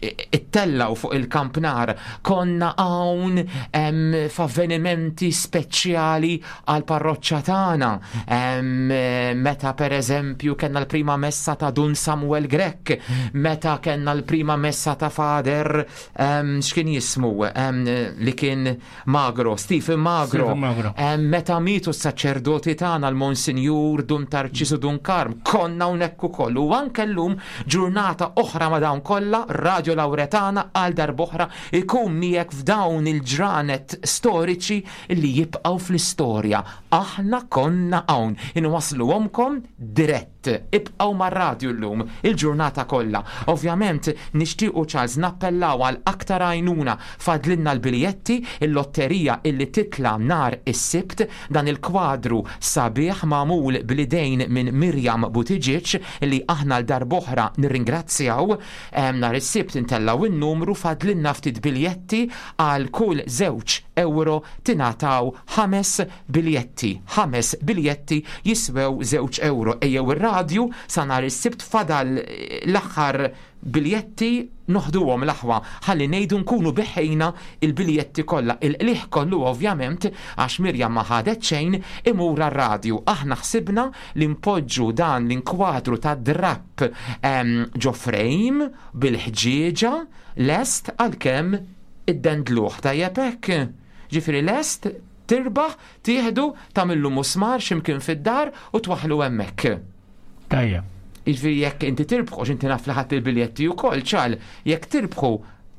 ittellaw fuq il-kampnar, konna hawn em, f'avvenimenti speċjali għal parroċċa tagħna. Em, meta per eżempju kellna l-prima messa ta' Dun Samuel Grech, meta kellna l-prima messa ta' Father em, x'kien jismu em, li kien Magro, Stephen Magro. Stephen Magro. Em, meta mitu s-saċerdoti tagħna l-Monsinjur Dun Tarċisu Dun Karm, konna hawnhekk ukoll. U anke llum ġurnata oħra ma' dawn kollha, Radio Lauretana għal darb'oħra ikun miegħek f'dawn il-ġranet storiċi li jibqgħu fl-istorja. Aħna konna hawn, inwasluhomkom dirett. Ibqgħu mar-radju llum il-ġurnata kollha. Ovvjament nixtiequ Charles nappellaw għal aktar għajnuna, fadlinna l-biljetti, il-lotterija illi titla nhar is-Sibt, dan il-kwadru sabiħ magħmul bl-idejn minn Mirjam Buttigieg illi aħna l darb'oħra nirringrazzjaw. Em, nhar is-Sibt intellaw in-numru, fadlinna ftit biljetti, għal kull żewġ euro tingħataw ħames biljetti. Ħames biljetti jiswew żewġ euro. Ejjew ir-radju sa nhar is-Sibt, fadal l-aħħar biljetti, noħduhom l-aħwa ħalli ngħidu nkunu biħejna il-biljetti kollha. Il-qliħ kollu ovvjament, għax Mirjam ma ħadet xejn, imur għar-radju. Aħna ħsibna li npoġġu dan l-inkwadru ta' drapp em, ġo frame bil-ħġieġa lest għalkemm id-dendluħ. Tajjeb hekk? Ġifieri lest tirbaħ, tieħdu, tagħmillu musmar x'imkien fid-dar u twaħħlu hemmhekk. Tajjeb. Jiġifieri jekk inti tirbħu, x'inti naf li ħadd il-biljetti wkoll, ċal, jekk tirbħu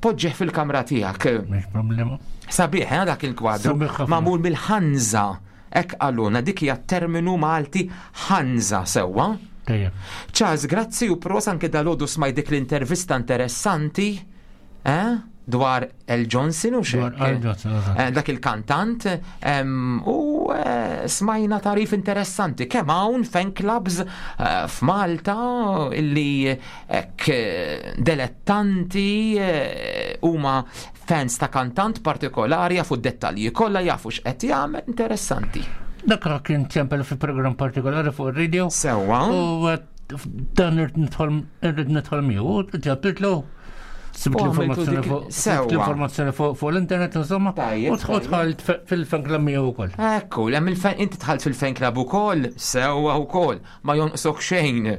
poġġeħ fil-kamra tiegħek. Mhix problema. Sabiħ, eh, dak il-kwadru. Sabiħ ħafna. Magħmul mill-ħanża. Hekk qalulna, dik hija terminu Malti, ħanża, sewwa. Tajjeb. Charles, grazzi u pros anke dalgħodu smajt dik l-intervista interessanti, eh? Dwar Al Johnson u Dwar xek. Al Johnson, eżatt. Eh, dak il-kantant em, u eh, smajna tarif interessanti kemm hawn fan clubs eh, f'Malta illi hekk eh, delettanti eh, huma fans ta' kantant partikolari, jafu d-dettalji kollha, jafu x'qed jagħmel, interessanti. Dak kien ċempel fi program partikolari fuq ir-radio. Sewwa. U eh, dan irrid nidħol irrid nidħol miegħu u ġabtitlu. Sibt U għamiltu l-informazzjoni dik- fuq sewwa. sibt l-informazzjoni fuq fuq l-internet insomma. Tajjeb, U dħalt fil-fan club miegħu wkoll. Ekku, hemm il-fan, inti dħalt fil-fan club ukoll, sewwa wkoll, ma jonqsok xejn.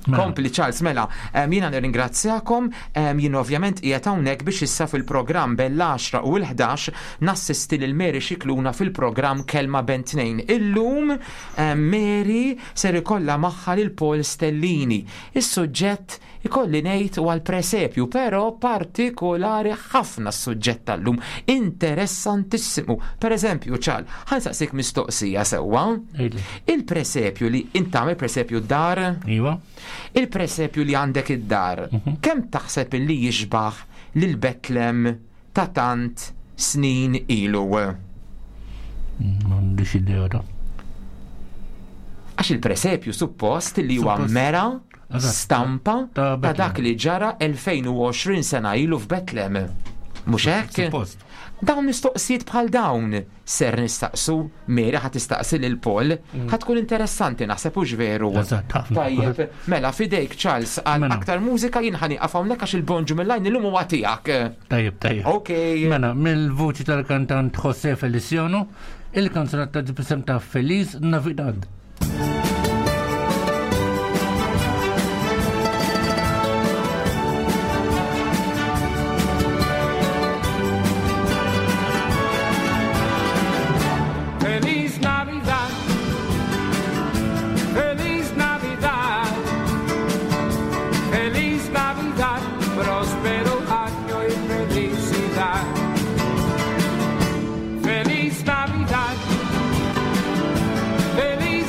Mela. Kompli Charles, mela, em, jiena nirringrazzjakom, em, jien ovvjament qiegħed hawnhekk biex issa fil-programm bel-għaxra u l-ħdax nassisti lil Mary Xikluna fil-programm Kelma Ben Tnejn. Illum em, Mary ser ikollha magħha lil Paul Stellini. Is-suġġett ikolli ngħid huwa l-presepju, però partikolari ħafna s-suġġett tal-lum, interessantissimu. Per eżempju, Charles, ħa nsaqsik mistoqsija sewwa. Għidli. Il-presepju li int tagħmel presepju d-dar? Iva. Il-presepju li għandek id-dar, kemm taħseb li jixbaħ lil Betlem ta' tant snin ilu? M'għandix idea ta' Għax il-presepju suppost li huwa Suppost. mera Eżatt. stampa Ta' ta' Betlem. dak li ġara elfejn u għoxrin sena ilu f'Betlem. Mhux hekk? Suppost. Dawn mistoqsijiet bħal dawn ser nistaqsu, Mary ħa tistaqsi lil Paul, ħa tkun interessanti naħseb, hux veru? Eżatt, ħafna. Tajjeb, mela fidejk Charles għal Mela. aktar mużika, jien ħa nieqaf hawnhekk għax il-bonġu mill-lajn illum huwa tiegħek. Tajjeb, tajjeb. Ok. Mela, mill-vuċi tal-kantant José Feliciano, il-kanzunetta ġibisem ta' Feliz Navidad. Feliz Navidad, Feliz Navidad, Feliz Navidad, próspero año y felicidad. Feliz Navidad, Feliz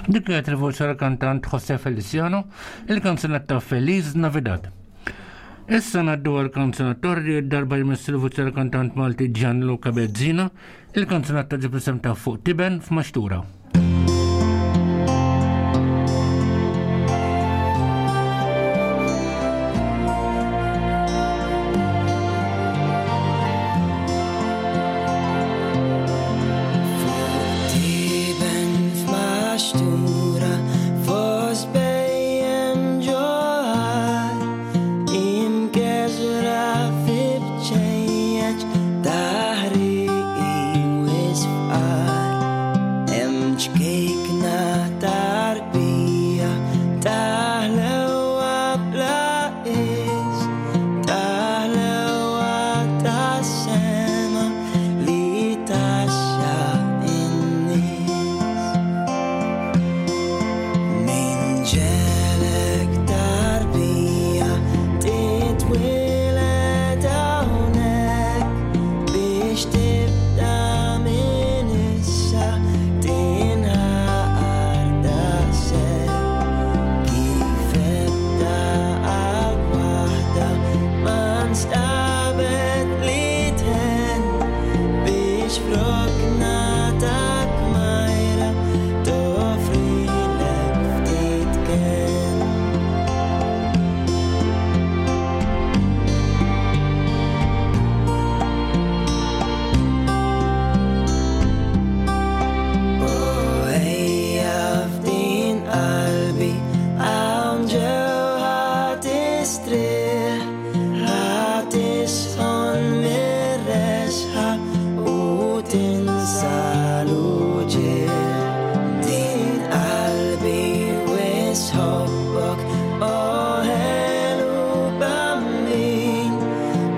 Dik kienet il-voċi tal-kantant José Feliciano, il-kanzunetta Feliz Navidad. Issa ngħaddu għal-kanzunetta li darba jmiss il-voċi tal-kantant Malti Gianluca Bezzina, il-kanzunetta ġib isem ta' Fuq Tiben f'Maxtura. Tiben f'maxtura fost bejjem ġoħar imkeżra fi bċejjeċ taħriq wisfqar hemm ċkejkna tarbija taħlewa bla qies taħlewa tas-sema li taxxa in-nies. Min ġelek tarbija titwieled hawnhekk biex tibda minn issa tinħaqar daqshekk. Kif ebda qalb waħda ma nstabet li tħenn biex f'rokna ta' kmajra toffrilek ftit kenn. U ejja f'din qalbi hawn ġew ħa tistrieħ, ħa tisħon mir-resħa u tinsa l-uġigħ. Din qalbi wisħobbok, o ħelu bambin,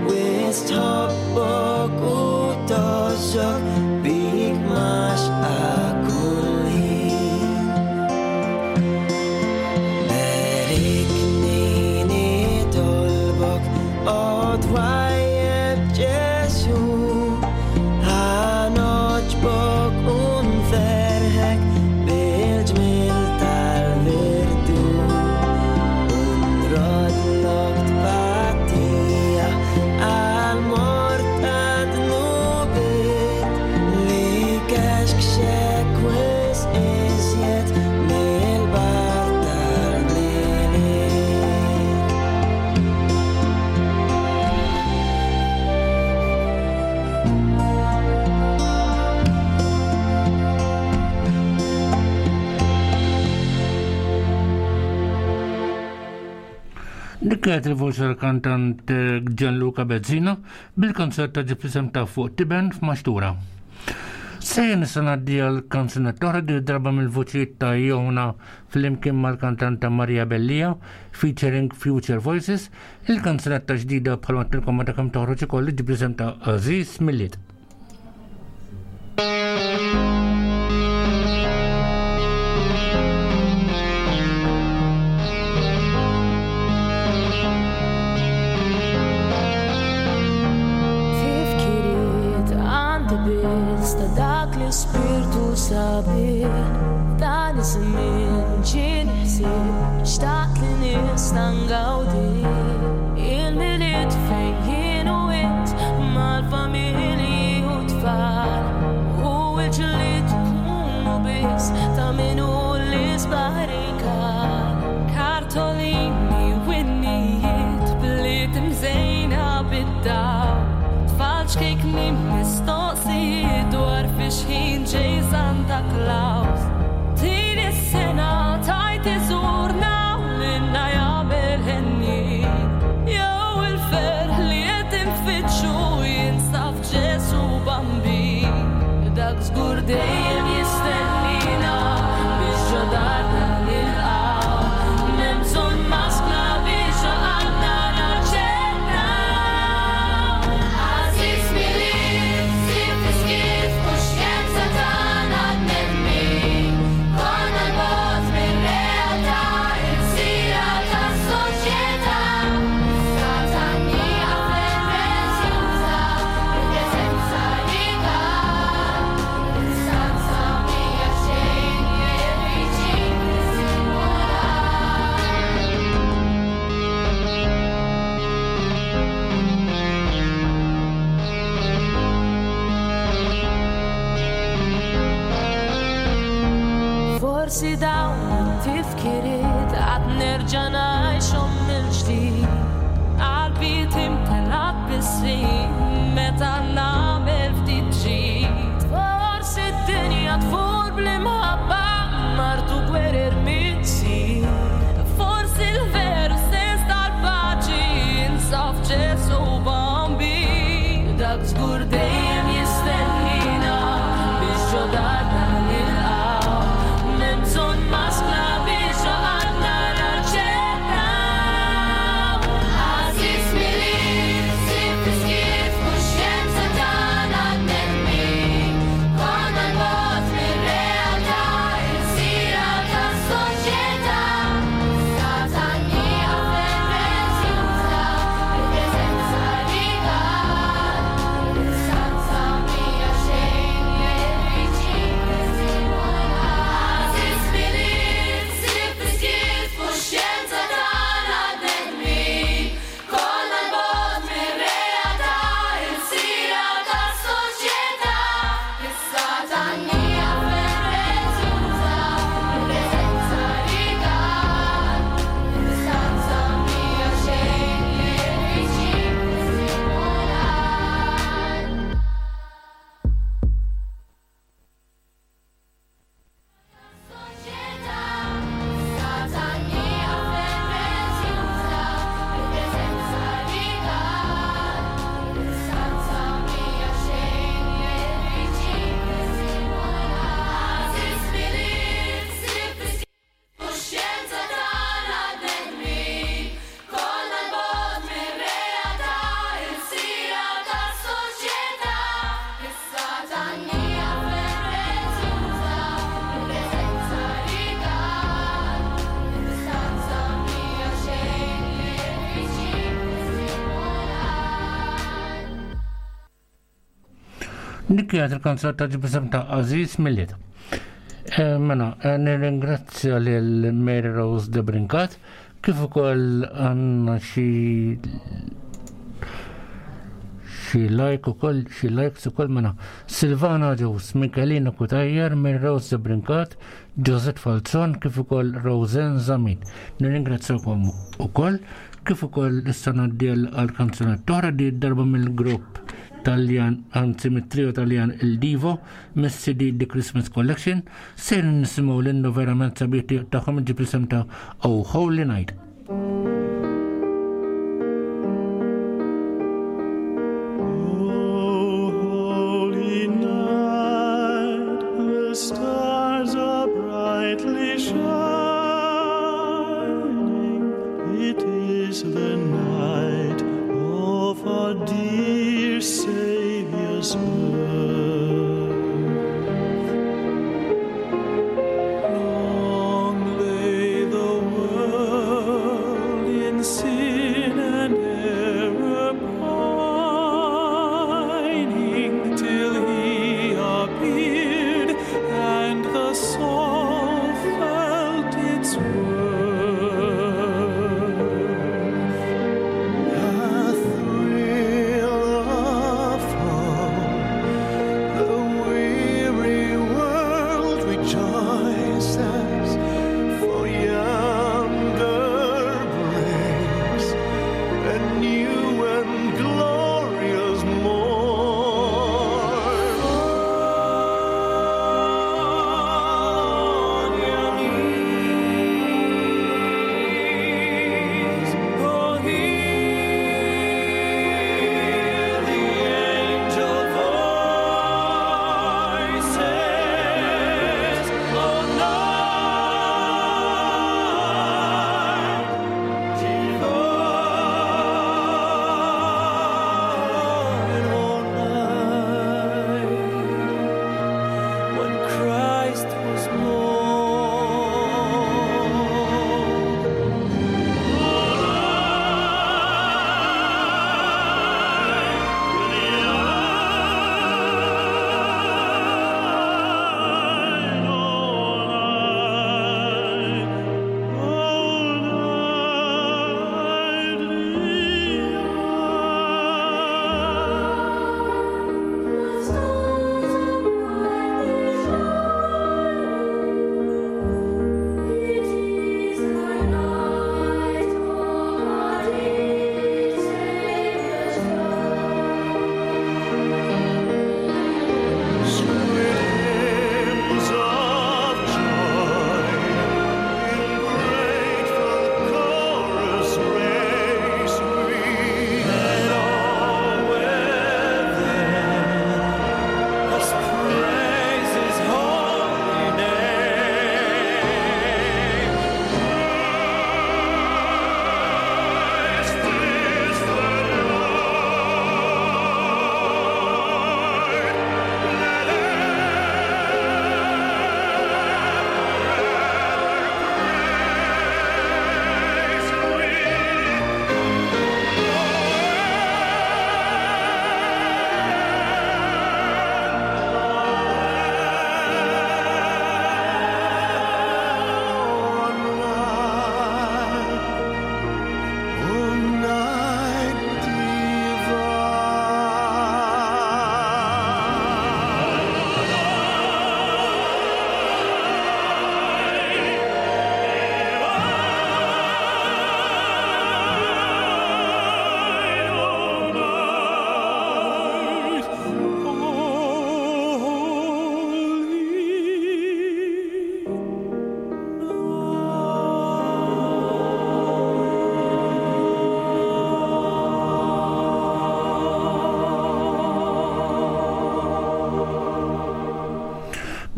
wis tħobbok u tgħożżok bik maxqa kull ħin. Berikni nitolbok, o twajjeb Ġesu, ħa noġbok u nferħek bil-ġmiel tal-virtù. U nroddlok tpattija għal-mort ta' dnubiet li kexkxek wisq iżjed mill-bar tal-Milied. Dik kienet il-voċi tal-kantant eh, Gianluca Bezzina bil-kanzunetta ġib isem ta' Fuq Tiben f'Maxtura. Sejjen issa ngħaddi għal kanzunetta oħra di darba mill-voċijiet ta' Jona flimkien mal-kantanta Maria Bellia featuring Future Voices, il-kanzunetta ġdida bħalma tilkom meta kemm toħroġ ukoll ġib isem ta' Aziz Milied. Tifkiriet għandi biss ta' dak l-ispirtu sabiħ. Dan iż-żmien ġieni ħsieb xtaqt li nista' ngawdi. Il-Milied fejn jien u int mal-familji u tfal. U l-ġlied ikunu biss ta' min hu l-isbaħ rigal. Kartolini u innijiet bliet imżejna bid-dawl. Tfal ċkejkni mistoqsijiet dwar fiex ħin ġej Santa Claus. Din is-sena tajt iżurna u lilna jagħmel ħenni. Jew il-ferħ li qed infittxu jinsab f'Ġesu Bambin. Dak żgur dejjem jistennina biex ġo darna nilqgħu. M'hemm bżonn maskla biex għalqna naċċennaw. Għażiż Milied, sib fiskiet u xjenza tagħna Forsi dawn it-tifkiriet għad nerġa' ngħixhom mill-ġdid. Qalbi timtela bis-snin meta nagħmel ftit ġid. Forsi d-dinja tfur bl-imħabba martu gwerer mitzi. Forsi l-veru sens tal-paċi insaf Ġesu Bambi. Dak żgur dejjem jistennina biex ġodarna nilqaw. M'hemm bżonn maskla biex għadna naċċettaw. Għażiż Milied, sib fiskiet, kuxjenza tagħna bnedmin. Konna 'l bogħod mir-realtà, ilsira tas-soċjetà. Satanija prezzjuża, il-preżenza rigal. Distanza mhija xejn mill-viċin Għażiż Milied, sib fiskiet, kuxjenza tagħna bnedmin. Konna 'l bogħod mir-realtà, ilsira tas-soċjetà. Is-satanija prezzjuża, il-preżenza rigal. Distanza mhija xejn mill-viċin Satanija prezzjuża, il-preżenza rigal. Distanza mhija xejn mill-viċin Għażiż Milied, sib fiskiet, kuxjenza tagħna bnedmin. Konna 'l bogħod mir-realtà, ilsira tas-soċjetà. Is-satanija prezzjuża, il-preżenza rigal. Distanza mhija xejn mill-viċin Dik kienet il-kanzunetta ġib ta' Għażiż Milied. Eh, Mela, eh, nirringrazzja lil Mary Rose de Brincat, kif ukoll għandna xi xi like ukoll, xi likes ukoll mela. Silvana Ġus, Michelina Cutajar, Mary Rose de Brincat, Josette Falzon, kif ukoll Rosen Zamit. Nirringrazzjakom ukoll, kif ukoll issa ngħaddi għal kanzunetta oħra di darba mill-grupp Taljan, anzi mit-trio Taljan Il Divo, mis-C D The Christmas Collection, ser nisimgħu l-innu verament sabiħ tagħhom ġib l-isem ta' Oh Holy Night. Holy night, the stars are brightly shining. It is the night of our dear Savior's birth. Long lay the world in sin and error pining till he appeared and the soul felt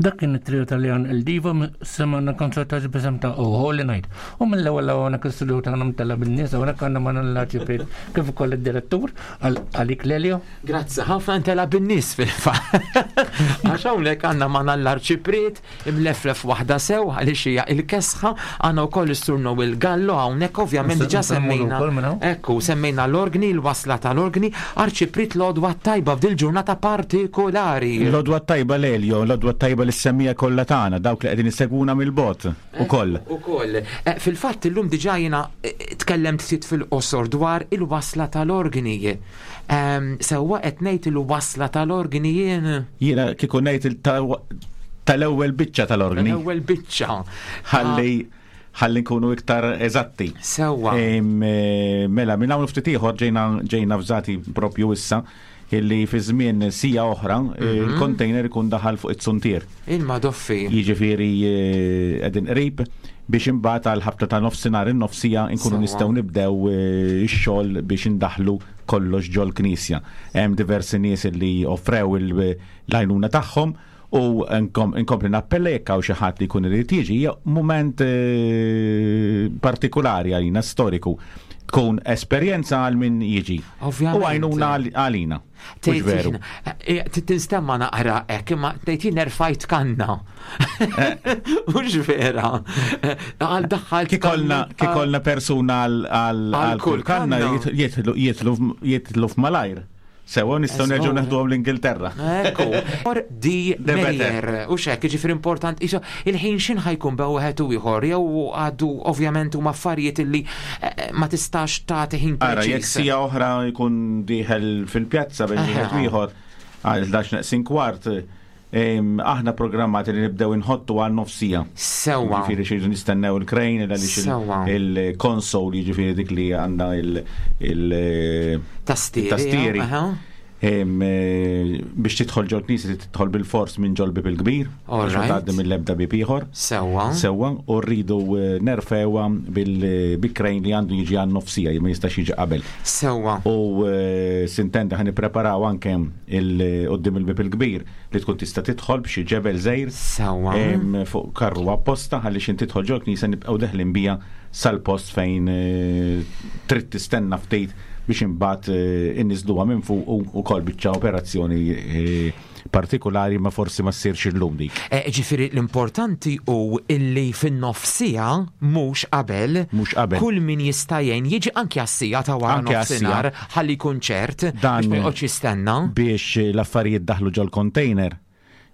Dak kien it-trio Taljan Il Divo, semana konċertaġ b'isem ta' Oh Holy Night. U mill-ewwel hawnhekk l-istudio tagħna mtella bin-nies, hawnhekk għandna magħna l-arċipriet kif ukoll id-direttur għalik Lelio. Grazzi ħafna, ntela bin-nies fil-fatt. Għax hawnhekk għandna magħna l-arċipriet imleflef waħda sew għaliex hija il-kesħa, għandna wkoll is-Sur Noel Gallo hawnhekk, ovvjament diġà semmejna. Ekku, semmejna l-organi, l-wasla tal-organi. Arċipriet, l-għodwa tajba f'dil ġurnata partikolari. L-għodwa tajba Lelio, l-għodwa tajba lis-semmiegħa kollha tagħna, dawk li qegħdin isegwuna mill-bogħod ukoll. Ukoll. Eh, fil-fatt illum diġà jiena eh, tkellemt ftit fil-qosor dwar il-wasla tal-organi. Ehm, sewwa qed ngħid il-wasla tal-organi jien? Jiena kieku ngħid tal-ewwel biċċa tal-organi. Tal-ewwel biċċa. Ħalli ħalli nkunu iktar eżatti. Sewwa. Eh, mela, minn hawn ftit ieħor ġejna ġejna fżati propju issa illi fi żmien siegħa oħra mhm. il-container ikun daħal fuq it-suntier. Il-madoffi. Jiġifieri eh, qegħdin qrib biex imbagħad għal ħabta ta' nofsinhar in-nofsija nkunu nistgħu nibdew eh, ix-xogħol biex indaħlu kollox ġol knisja. Hemm diversi nies li offrew l-għajnuna tagħhom u nkompli nappella jekk hawn xi ħadd li jkun irid jiġi, hija mument eh, partikolari għalina, storiku, tkun esperjenza għal min jiġi. Ovvjament. U għajnuna għalina. Mhux veru? Eh, tinstema naqra hekk, imma tgħid jien erfajt kanna. Mhux vera. Eh, għal daħħal. Kikolna persuna għal kull kanna jitlu f'malajr. Sewa, nistgħu nerġgħu neħduhom l-Ingilterra. Ekku. Or di Meyer, u xek, ġifieri important, iso, il-ħin xin ħa jkun bejn wieħed u ieħor, jew għadu ovvjament huma affarijiet illi eh, ma tistax tagħti ħin Ara, jekk preċiż. siegħa oħra jkun dieħel fil-pjazza bejn wieħed u ieħor għal ħdax neqsin kwart, em, aħna programmati li nibdew inħottu għal nofs siegħa. Sewwa. Jiġifieri xi nistennew il-crane għaliex il- Sewwa. il-console, jiġifieri dik li għandha il- il- Tastieri. tastieri. aha. Em, eh, biex tidħol ġol knisja tidħol bil-fors minn ġol bib il-kbir, All biex ma right. tgħaddi mill-ebda bib ieħor. Sewwa. Sewwa, u rridu eh, nerfewha bil-crane li għandu jiġi għan nofs siegħa, ma jistax jiġi qabel. Sewwa. U eh, s'intendi ħa nippreparaw anke il- quddiem il-bib il-kbir li tkun tista' tidħol b'xi ġebel żgħir. Sewwa. Em, fuq karru apposta ħalli xin tidħol ġol knisja nibqgħu deħlin bija sal-post fejn eh, trid tistenna ftit biex imbagħad eh, inniżluha minn fuq u ukoll biċċa operazzjoni eh, partikolari, ma forsi ma ssirx illum dik. Eh, Ġifieri l-importanti hu illi fin-nofs siegħa, mhux qabel, Mhux qabel. kull min jista' jgħin jiġi anke għas-siegħa ta' wara Anke nofsinhar ħalli jkun ċert Dan biex ma joqgħodx jistenna. Biex l-affarijiet daħlu ġol container,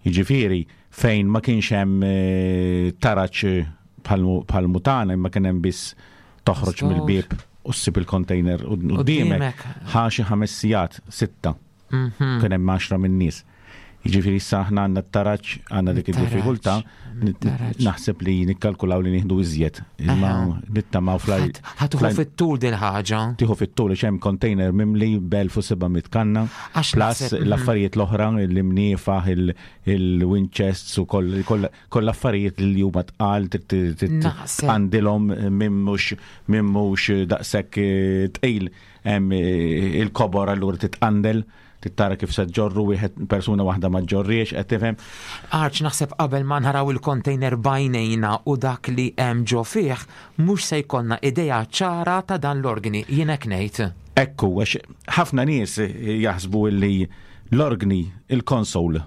jiġifieri fejn ma kienx hemm eh, taraċ bħal mutana, imma kien hemm biss toħroġ Żgur. mill-bieb u ssib il-container quddiemek. Qudiemek. Ħa xi ħames sigħat, sitta. Mhm. Kien hemm għaxra minn nies. Jiġifieri issa aħna għandna t-taraċ, għandna dik Taraċ, id-diffikultà, taraċ. naħseb li nikkalkulaw li nieħdu iżjed. Imma Aha. nittamaw fl Ħa tieħu fit-tul din ħaġa. Tieħu fit-tul għax hemm container mimli b'elf u seba' mitt kanna Għax plus naħseb- mhm. l-affarijiet l-oħra, l-imniefaħ, il-windchests u koll koll affarijiet li huma tqal Naħseb- għandilhom minn mhux minn mhux daqshekk eh, tqil, hemm eh, il-kobor, allura titqandel tittara kif se ġorru wieħed, persuna waħda ma ġorriex, qed tifhem? Arċ, naħseb qabel ma naraw il-container b'għajnejna u dak li hemm ġo fih, mhux se jkollna idea ċara ta' dan l-organi, jien hekk ngħid. Ekku, għax ħafna nies jaħsbu li l-organi il-console.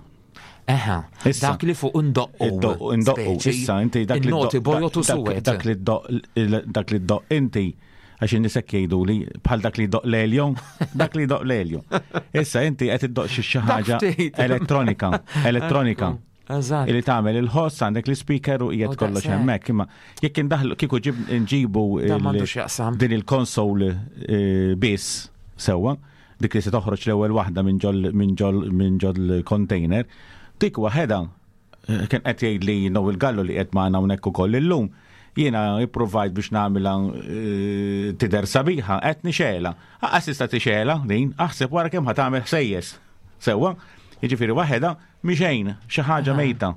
Eħa, Issa. Dak li fuq indoqqu. Iddoqqu, indoqqu. Speċi, Issa, inti dak li in-noti ddoq- bojod u dak- suwed. Dak li ddoq dak li ddoq inti, għax in-nies hekk jgħidu li bħal dak li ddoq Lelio, dak li ddoq Lelio. Issa inti qed iddoq xi xi ħaġa ftit. elettronika, elettronika. Eżatt. Illi tagħmel il-ħoss, għandek l-speaker u qiegħed U kollox daqshekk. hemmhekk, imma jekk indaħlu kieku ġib nġibu Dan il- m'għandux jaqsam. din il-console eh, biss, sewwa, dik li se toħroġ l-ewwel waħda minn ġol minn ġol minn ġol container, dik waħedha eh, kien qed jgħid li Noel Gallo li qed magħna hawnhekk ukoll illum. Jiena ipprovajt biex nagħmilha eh, tidher sabiħa, qed nixela. Aqas tista' tixela din, aħseb wara kemm ħa tagħmel ħsejjes. Sewwa, jiġifieri waħedha mixejn, xi ħaġa mejta.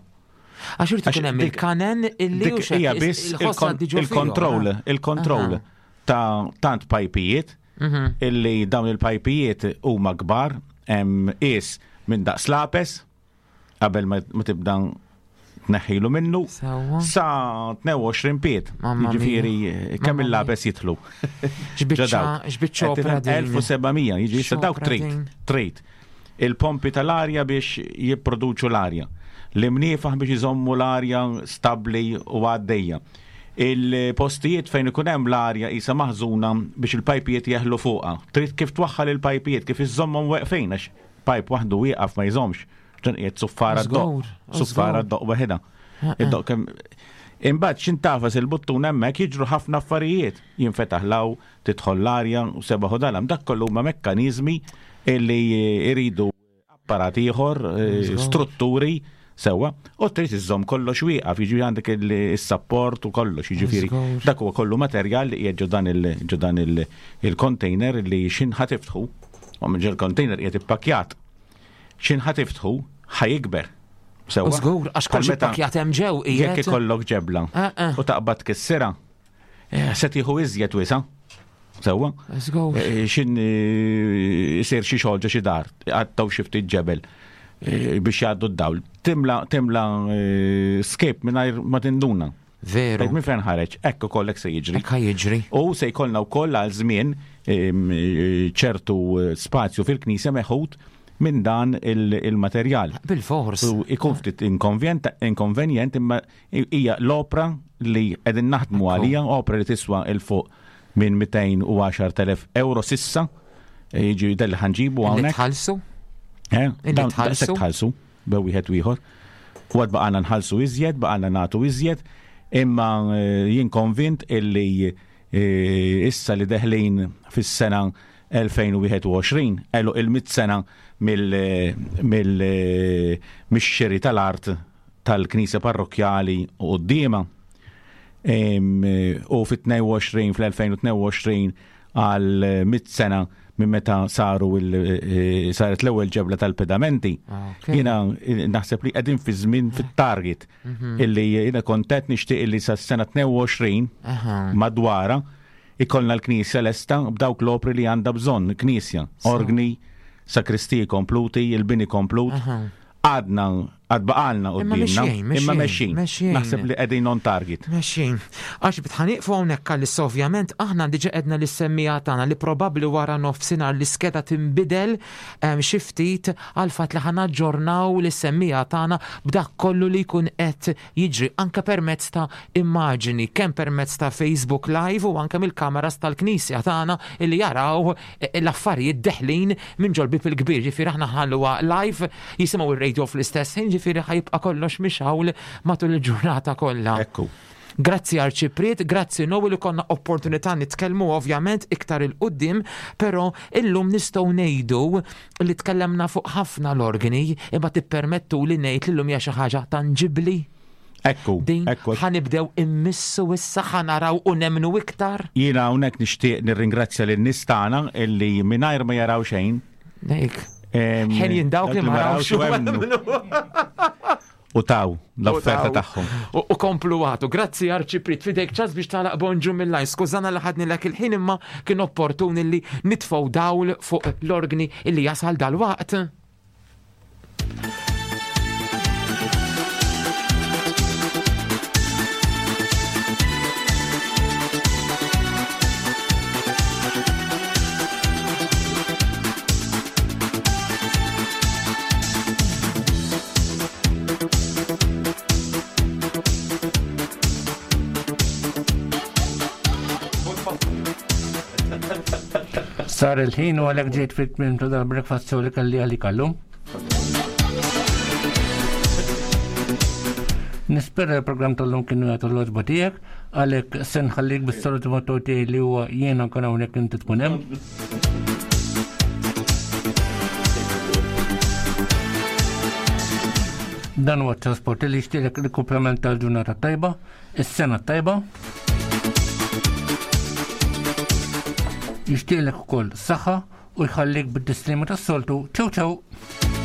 Għax irid ikun hemm dik- il-kanen illi Dik u xek hija biss il-ħoss għaddi ġo fihom, il-kontroll, eh? il-kontroll Aha. ta' tant pajpijiet Mhm. illi dawn il-pajpijiet huma kbar, hemm qis minn daqs lapes qabel ma ma tibda tneħħilu minnu sa tnejn u għoxrin pied. Jiġifieri kemm il-lapes jidħlu. X'biċċa opra din. elf u seba' mija, jiġifieri issa dawk trid, trid. Il-pompi tal-arja biex jipproduċu l-arja. L-imniefaħ biex iżommu l-arja stabbli u għaddejja. Il-postijiet fejn ikun hemm l-arja qisha maħżuna biex il-pajpijiet jeħlu fuqha. Trid kif twaħħal il-pajpijiet, kif iżommhom weqfin għax pajp waħdu wieqaf ma jżommx. Ġan qiegħed suffara d-doq. Suffara d-doq waħedha. Id-doq kemm imbagħad x'intafas il-buttun hemmhekk jiġru ħafna affarijiet. Jinfetaħ law, tidħol l-arja u sebaħ u dalam. Dak kollu huma mekkaniżmi illi jridu apparat ieħor, strutturi sewwa, u trid iżżomm kollox wieqaf, jiġifieri għandek is-sapport u kollox, jiġifieri dak huwa kollu materjal li qiegħed ġo dan ġo dan il-container li x'inħa tiftħu, u minn ġol container qiegħed ippakkjat. X'inħa tiftħu ħajikber. Sewwa. Żgur, għax kollox ippakkjat hemm ġew qiegħed. Jekk ikollok ġebla u taqbad tkissirha, se tieħu iżjed wisa'. Sewwa. Xin isir xi xogħol ġo xi dar, għattaw xi ftit ġebel biex jgħaddu d-dawl. Timla timla skip mingħajr ma tinduna. Veru. Minn fejn ħareġ, hekk ukoll hekk se jiġri. Hekk jiġri. U se jkollna wkoll għal żmien ċertu spazju fil-knisja meħud minn dan il-materjal. Bil-fors. U ikun ftit inkonvenjent imma hija l-opra li qegħdin naħdmu għalija, opra li tiswa il fuq minn mitejn u għaxar telef euro sissa, jiġi del ħanġibu hawnhekk. Illi tħallsu? Eh, daqshekk tħallsu bew wieħed u ieħor. U għad baqgħna nħallsu iżjed, baqgħna nagħtu iżjed, imma jien konvint illi issa li deħlin fis-sena elfejn u wieħed u għoxrin, għeluq il-mitt sena mix-xiri tal-art tal-Knisja Parrokkjali u quddiemha. U fit-tnejn u għoxrin, fl-elfejn u tnejn u għoxrin għal mitt sena minn meta saru saret l-ewwel ġebla tal-pedamenti. Jiena naħseb li qegħdin fi żmien fit-target illi jiena kontent nixtieq illi sas-sena tnejn u għoxrin madwara ikollna l-knisja lesta b'dawk l-opri li għandha bżonn knisja, organi, sakristiji kompluti, il-bini komplut. Għadna, għad baqalna quddiemna, imma mexxin. Naħseb li qegħdin on target. Mexxin. Għax bitħaniqfu hawnhekk għalissa ovvjament aħna diġà qedna lis-semmija tagħna li probabbli wara nofsinhar l-iskeda tinbidel xi ftit għal fatt li ħanaġġornaw lis-semmija tagħna b'dak kollu li jkun qed jiġri anke permezz ta' immaġini, kemm permezz ta' Facebook Live u anke mill-kameras tal-knisja tagħna li jaraw l-affarijiet deħlin minn ġol-bib il-kbir. Ġifieri aħna ħalluha live, jisimgħu ir-radio fl-istess ħin, ġifieri ħajibqa' kollox mixgħul matul il-ġurnata kollha. Ekku. Grazzi Arċipriet, grazzi Noel li konna opportunità nitkellmu ovvjament iktar il-qudiem, però illum nistgħu ngħidu li tkellemna fuq ħafna l-organi, imma tippermettu li ngħid li llum hija xi ħaġa tanġibbli. Ekku, Din ekku. ħanibdew immissu issa ħanaraw u nemnu iktar. Jiena hawnhekk nixtieq nirringrazzja lin-nies tagħna illi mingħajr ma jaraw xejn. Nek. Ħenjin dawk li ma rawx u emmnu. U taw l-offerta tagħhom. U komplu għatu. Grazzi Arċipriet, fidejk ċans biex tagħlaq bonġu mill-lajn. Skużana li ħadni lek il-ħin imma kien opportun illi nitfgħu dawl fuq l-organi illi jasal dal-waqt. Sar il-ħin u għalhekk ġejt fit-tmiem ta' dal-breakfast show li kelli għalik għallum. Nispera l-programm tal-lum kienu jagħtu l-oġba tiegħek, għalhekk se nħallik bis-saluti motto tiegħi li huwa jiena nkun hawnhekk inti tkun hemm. Dan huwa t-trasport li jixtieqlek il-kumplament tal-ġurnata tajba, is-sena tajba. Jixtieqlek ukoll saħħa u jħallik bid-dislima tas-soltu. Ciao ciao!